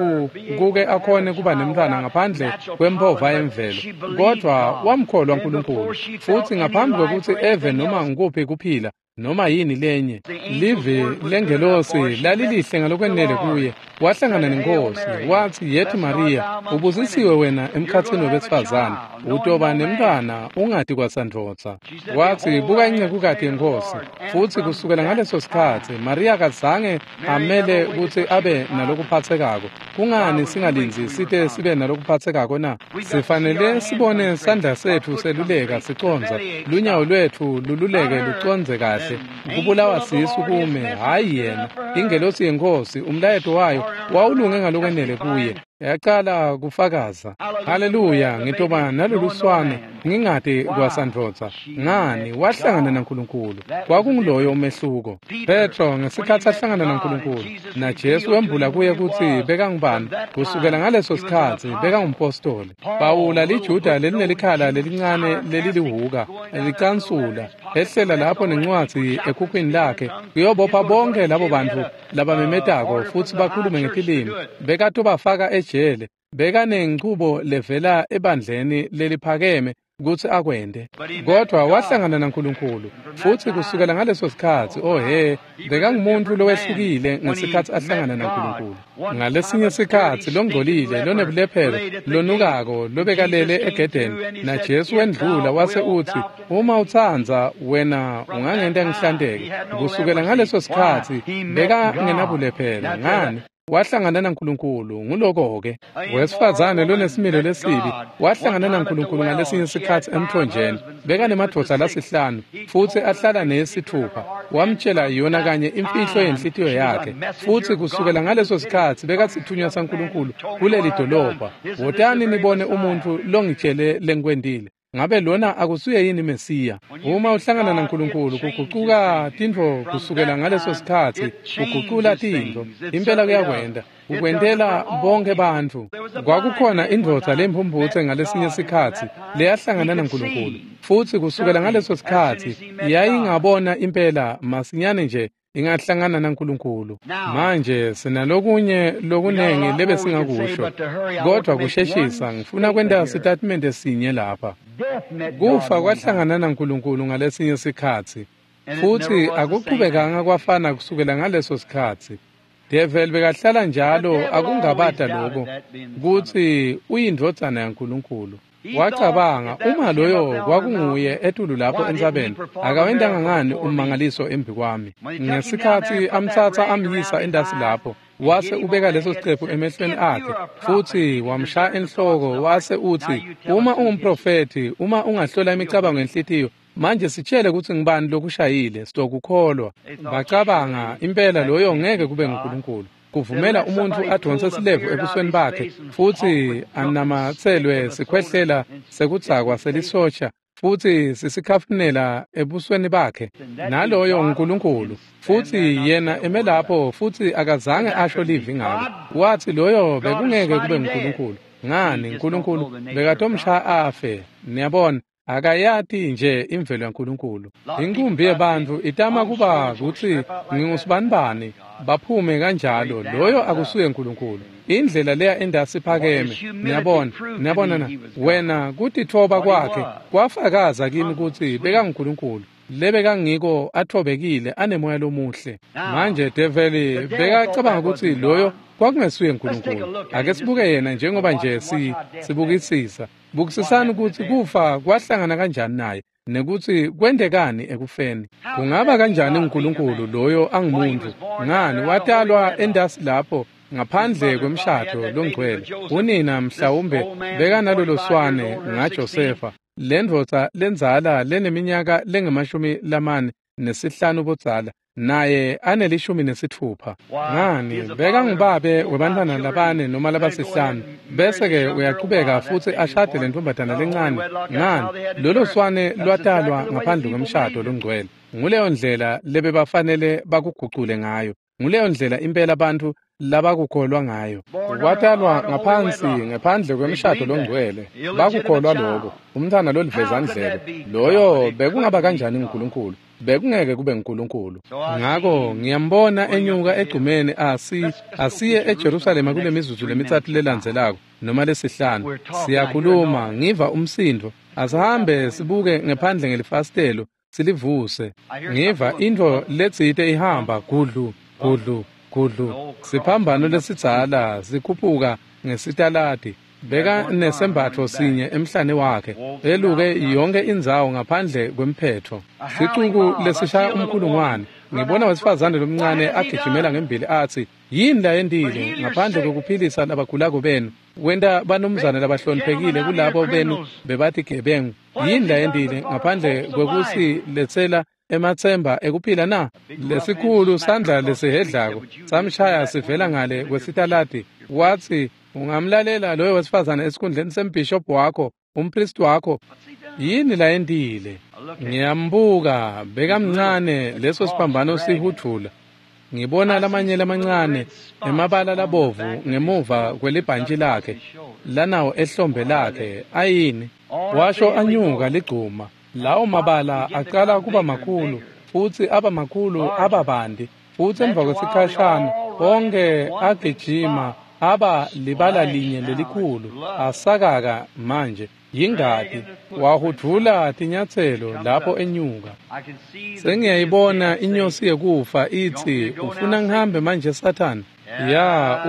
kuke akhone kuba nemntfwana ngaphandle kwempova yemvelo, kodwa wamkholwa uNkulunkulu. Futsi ngaphambi kwekutsi eve noma ngukuphi kuphila noma yini lenye, livi lengelosi lalilihle ngalokwenele kuye. Wahlangana nenkosi, wathi, "Yethi Maria, ubusisiwe wena emkhatsini webesifazane, utoba nemntfwana ungati kwasandvodza." Wathi, "Buka incekukati yenkosi." Futsi kusukela ngaleso sikhatsi Maria akazange amele kutsi abe nalokuphatsekako. Kungani singalindzi site sibe nalokuphatsekako na? Sifanele sibone sandla setfu seluleka sicondza, lunyawo lwetfu lululeke lucondze kahle. Kubulawa sisu kume, hhayi yena. Ingelosi yenkosi, umlayeto wayo wawulunge ngalokwenele kuye. Yacala kufakaza. Haleluya, ngitoba naloluswane ngingati kwasandvodza. Ngani? Wahlangana naNkulunkulu. Kwakunguloyo umehluko. Petro ngesikhatsi ahlangana naNkulunkulu naJesu wembula kuye kutsi bekangubani. Kusukela ngaleso sikhatsi bekangumpostoli. Pawula liJuda lelinelikhala lelincane lelilihuka licansula ehlela lapho nencwadzi ekhukhwini lakhe kuyobopha bonke labo bantfu labamemetako futsi bakhulume ngetilimi. Bekatobafaka ejele. Bekanenchubo levela ebandleni leliphakeme kutsi akwente. Kodwa wahlangana naNkulunkulu, futhi kusukela ngaleso sikhatsi, oh he, bekangumuntu lowehlukile ngesikhatsi ahlangana naNkulunkulu. Ngalesinye sikhatsi longcolile, lonebulephero, lonukako, lobekalele egedeni, naJesu wendlula wase utsi, uma utsandza wena ungangenta ngihlanteke. Kusukela ngaleso sikhatsi bekangenabulephero. Ngani? Wahlangana naNkulunkulu. Nguloko-ke. Wesifazane lonesimilo lesibi wahlangana naNkulunkulu ngalesinye sikhatsi emthonjeni. Bekanemadvodza lasihlanu futsi ahlala nesithupha. Wamtshela yona kanye imfihlo yenhlitiyo yakhe, futsi kusukela ngaleso sikhatsi bekasithunywa saNkulunkulu kuleli dolobha. Wotani nibone umuntfu longitshele lengikwentile. Ngabe lona akusuye yini Mesiya? Uma uhlangana naNkulunkulu, kugucuka tintfo kusukela ngaleso sikhatsi, kugucula tintfo. Impela kuyakwenta. Ukwentela bonke bantfu. Kwakukhona indvodza lemphumputse ngalesinye sikhatsi leyahlangana naNkulunkulu, futsi kusukela ngaleso sikhatsi yayingabona impela masinyane nje ingahlangana naNkulunkulu. Manje sinalokunye lokunengi lebesingakusho, kodwa kusheshisa ngifuna kwenta sitatimende sinye lapha. Kufa kwahlangana naNkulunkulu ngalesinye sikhatsi, futhi akuqhubekanga kwafana kusukela ngaleso sikhatsi. Devil bekahlala njalo akungabata lokho kutsi uyindvodzana yaNkulunkulu. Wacabanga, uma loyo kwakunguye etulu lapho entsabeni, akawentanga ngani ummangaliso embi kwami? Ngesikhatsi amtsatsa amyisa endasi lapho, wase ubeka leso siqephu emehlweni akhe, futhi wamshaya enhloko, wase utsi, uma ungumprofethi, uma ungahlola imicabango yenhlitiyo, manje sitshele kutsi ngibani lokushayile, sitokukholwa. Bacabanga, impela loyo ngeke kube nguNkulunkulu. Kuvumela umuntfu adonse silevu ebusweni bakhe, futhi anamatselwe sikhwehlela sekudzakwa selisosha, futhi sisikhafunela ebusweni bakhe. Naloyo nguNkulunkulu, futhi yena eme lapho, futhi akazange asho livi ngalo. Wathi loyo bekungeke kube nguNkulunkulu. Ngani, uNkulunkulu bekatomshaya afe. Niyabona, akayati nje imvelo yaNkulunkulu. Inkumbi yebantfu itama kuba kutsi ngingusibanibani, baphume kanjalo. Loyo akusuye uNkulunkulu. Indlela leya endasi phakeme. Niyabona, niyabona na wena kutitfoba kwakhe kwafakaza kimi kutsi bekanguNkulunkulu. Lebekangiko athobekile anemoya lomuhle. Manje develi bekacabanga kutsi loyo kwakungesuye uNkulunkulu. Ake sibuke yena njengoba nje sibukisisa. Bukisisani kutsi kufa kwahlangana kanjani naye, nekutsi kwentekani ekufeni. Kungaba kanjani uNkulunkulu loyo angumuntu? Ngani, watalwa endasi lapho ngaphandle kwemshado longcwele. Unina mhlawumbe bekanalolo swane ngaJosefa, lendvodza lendzala leneminyaka lengamashumi 45 budzala, naye aneli-16. Ngani, bekangubabe webantfwana labane noma labasihlanu, bese-ke uyaqhubeka futhi ashade lentombazana lencane. Ngani, lolo swane lwatalwa ngaphandle kwemshado longcwele. Nguleyo ndlela lebebafanele bakugucule ngayo. Nguleyo ndlela impela bantfu labakukholwa ngayo. Kwatalwa ngaphansi ngephandle kwemshado longcwele. Bakukholwa lokho. Umntwana lolivezandlebe loyo bekungaba kanjani nguNkulunkulu? Bekungeke kube nguNkulunkulu. Ngako ngiyambona enyuka egcumeni asiye eJerusalema kule mizuzu lemithathu lelandzelako noma lesihlanu. Siyakhuluma, ngiva umsindo. Asihambe sibuke ngephandle ngelifasitelo silivuse. Ngiva intfo letsite ihamba gudlu gudlu gudlu. Siphambano lesidzala sikhuphuka ngesitaladi. Beka nesembatfo sinye emhlane wakhe, eluke yonke indzawo ngaphandle kwemphetho. Sicuku lesishaya umkhulungwane. Ngibona wesifazane lomncane agijimela ngembili athi, yini layentile ngaphandle kokuphilisa labagulako benu? Wenta banumzane labahloniphekile kulabo benu bebathi gebengu. Yini layentile ngaphandle kwekusiletsela ematsemba ekuphila na? Lesikhulu sandla lesihedlako samshaya sivela ngale kwesitaladi. Wathi, ungamlalela loyo wesifazane esikhundleni sembhishobhi wakho, umpristi wakho? Yini layentile? Ngiyambuka, bekamncane leso siphambano sihudvula. Ngibona lamanye lamancane emabala labovu ngemuva kwelibhantshi lakhe, lanawo ehlombe lakhe. Ayini? Washo anyuka ligcuma. Lawo mabala aqala kuba makhulu, futhi aba makhulu ababandi, futhi emva kwesikhashana onke agijima aba libala linye lelikhulu, asakaka manje. Yingati wahudvula tinyatselo lapho enyuka. Sengiyayibona inyosi yekufa itsi, ufuna ngihambe manje Sathane? Ya,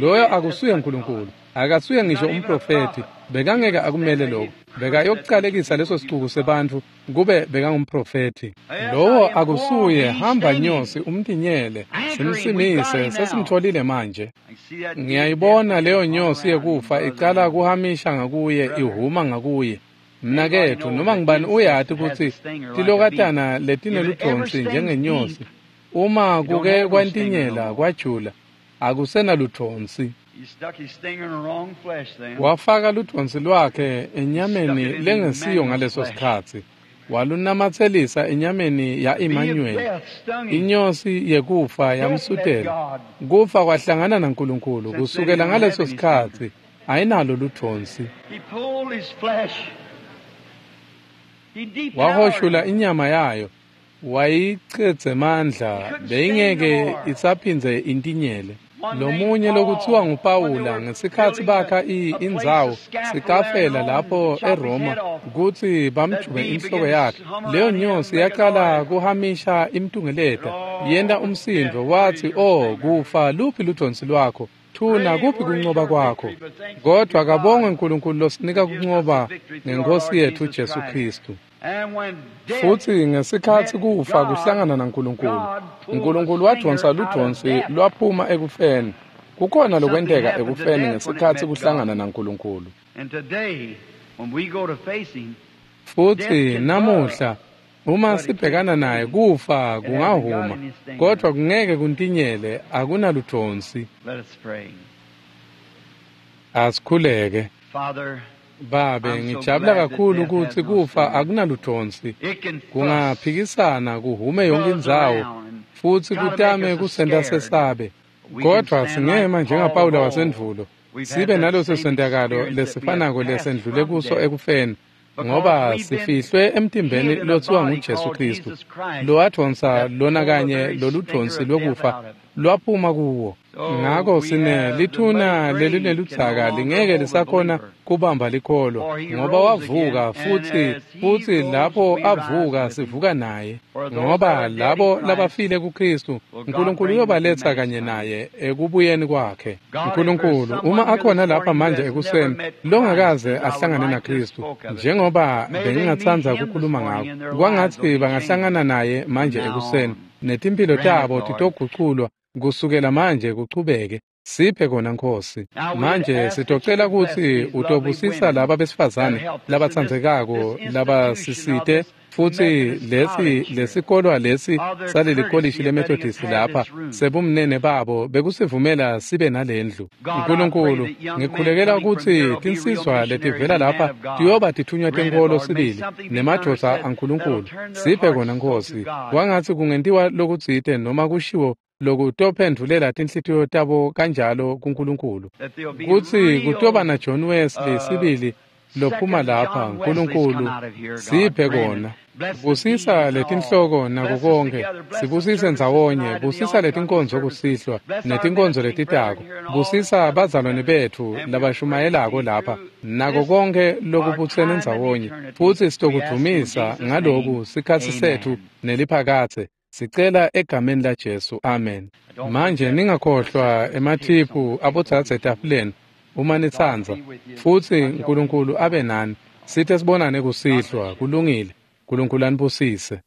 loyo akusuye uNkulunkulu. Akasuye ngisho umprofethi. Bekangeke akumele lokho. Bekayokucalekisa leso sicuku sebantfu kube bekangumprofethi. Lowo akusuye, hamba nyosi umtinyele, simsimise, sesimtholile manje. Ngiyayibona leyo nyosi yekufa icala kuhamisha ngakuye, ihuma ngakuye. Mnaketfu, noma ngibani uyati kutsi tilokatana letineludvonsi njengenyosi, uma kuke kwantinyela kwajula, akusenaludvonsi. Wafaka ludvonsi lwakhe enyameni lengesiyo ngaleso sikhatsi, walunamatselisa enyameni ya-Emmanuel. Inyosi yekufa yamsutela. Kufa kwahlangana naNkulunkulu kusukela ngaleso sikhatsi, ayinalo ludvonsi. Wahoshula inyama yayo, wayichedzemandla, beyingeke isaphindze intinyele. Lomunye lokutsiwa nguPawula ngesikhatsi bakha indzawo sikafela lapho eRoma kutsi bamjube inhloko yakhe, leyo nyosi yaqala kuhamisha imtungeleta, yenta umsindvo wathi, "Oh kufa, luphi ludvonsi lwakho? Thuna, kuphi kuncoba kwakho?" Kodwa kabongwe uNkulunkulu losinika kuncoba ngenkosi yethu Jesu Kristu. Futhi ngesikhatsi kufa kuhlangana naNkulunkulu, uNkulunkulu wadvonsa ludvonsi lwaphuma ekufeni. Kukhona lokwenteka ekufeni ngesikhatsi kuhlangana naNkulunkulu. Futhi namuhla uma sibhekana naye, kufa kungahuma, kodwa kungeke kuntinyele, akunaludvonsi. Asikhuleke. Babe, ngijabula kakhulu ukuthi kufa akunaludvonsi. Kungaphikisana kuhume yonke indzawo futsi kutame kusenta sesabe, kodwa singema njengaPawula wasendvulo, sibe naloso sentakalo lesifanako lesendlule kuso ekufeni, ngoba sifihlwe emtimbeni lotsiwa nguJesu Kristu, lowadvonsa lona kanye loludvonsi lwekufa lwaphuma kuwo. Ngako sine lithuna lelineludzaka lingeke lisakhona kubamba likholwa, ngoba wavuka futhi lapho avuka sivuka naye, ngoba labo labafile kuKristu uNkulunkulu uyobaletha kanye naye ekubuyeni kwakhe. uNkulunkulu, uma akhona lapha manje ekuseni longakaze ahlangane naKristu, njengoba bengingatsandza ukukhuluma ngako, kwangatsi bangahlangana naye manje ekuseni, netimpilo tabo titoguculwa kusukela manje kuchubeke. Siphe kona Nkosi. Manje sitocela kutsi utobusisa laba besifazane labatsandzekako labasisite, futhi lesi lesikolwa lesi saleli kolishi leMethodist lapha sebumnene babo bekusivumela sibe nalendlu. Nkulunkulu, ngikhulekela kutsi tinsizwa letivela lapha tiyoba tithunywa tenkolo sibili nemadvodza aNkulunkulu. Siphe kona Nkosi. Kwangatsi kungentiwa lokutsite noma kushiwo lokutophendvulela tinhlitiyo tabo kanjalo kuNkulunkulu, kutsi kutoba na John Wesley sibili lophuma lapha. Nkulunkulu, siphe kona. Busisa letinhloko nako konke, sibusise ndzawonye, busisa letinkonzo kusihlwa netinkonzo letitako, busisa bazalwane betfu labashumayelako lapha nako konke lokubutsene ndzawonye, futsi sitokudvumisa ngaloku sikhatsi setfu neliphakatse. Sicela egameni laJesu, amen. Manje ningakhohlwa emathiphu abodzadze etafuleni uma nitsandza, futsi uNkulunkulu abe nani. Sithe sibonane kusihlwa. Kulungile. uNkulunkulu anibusise.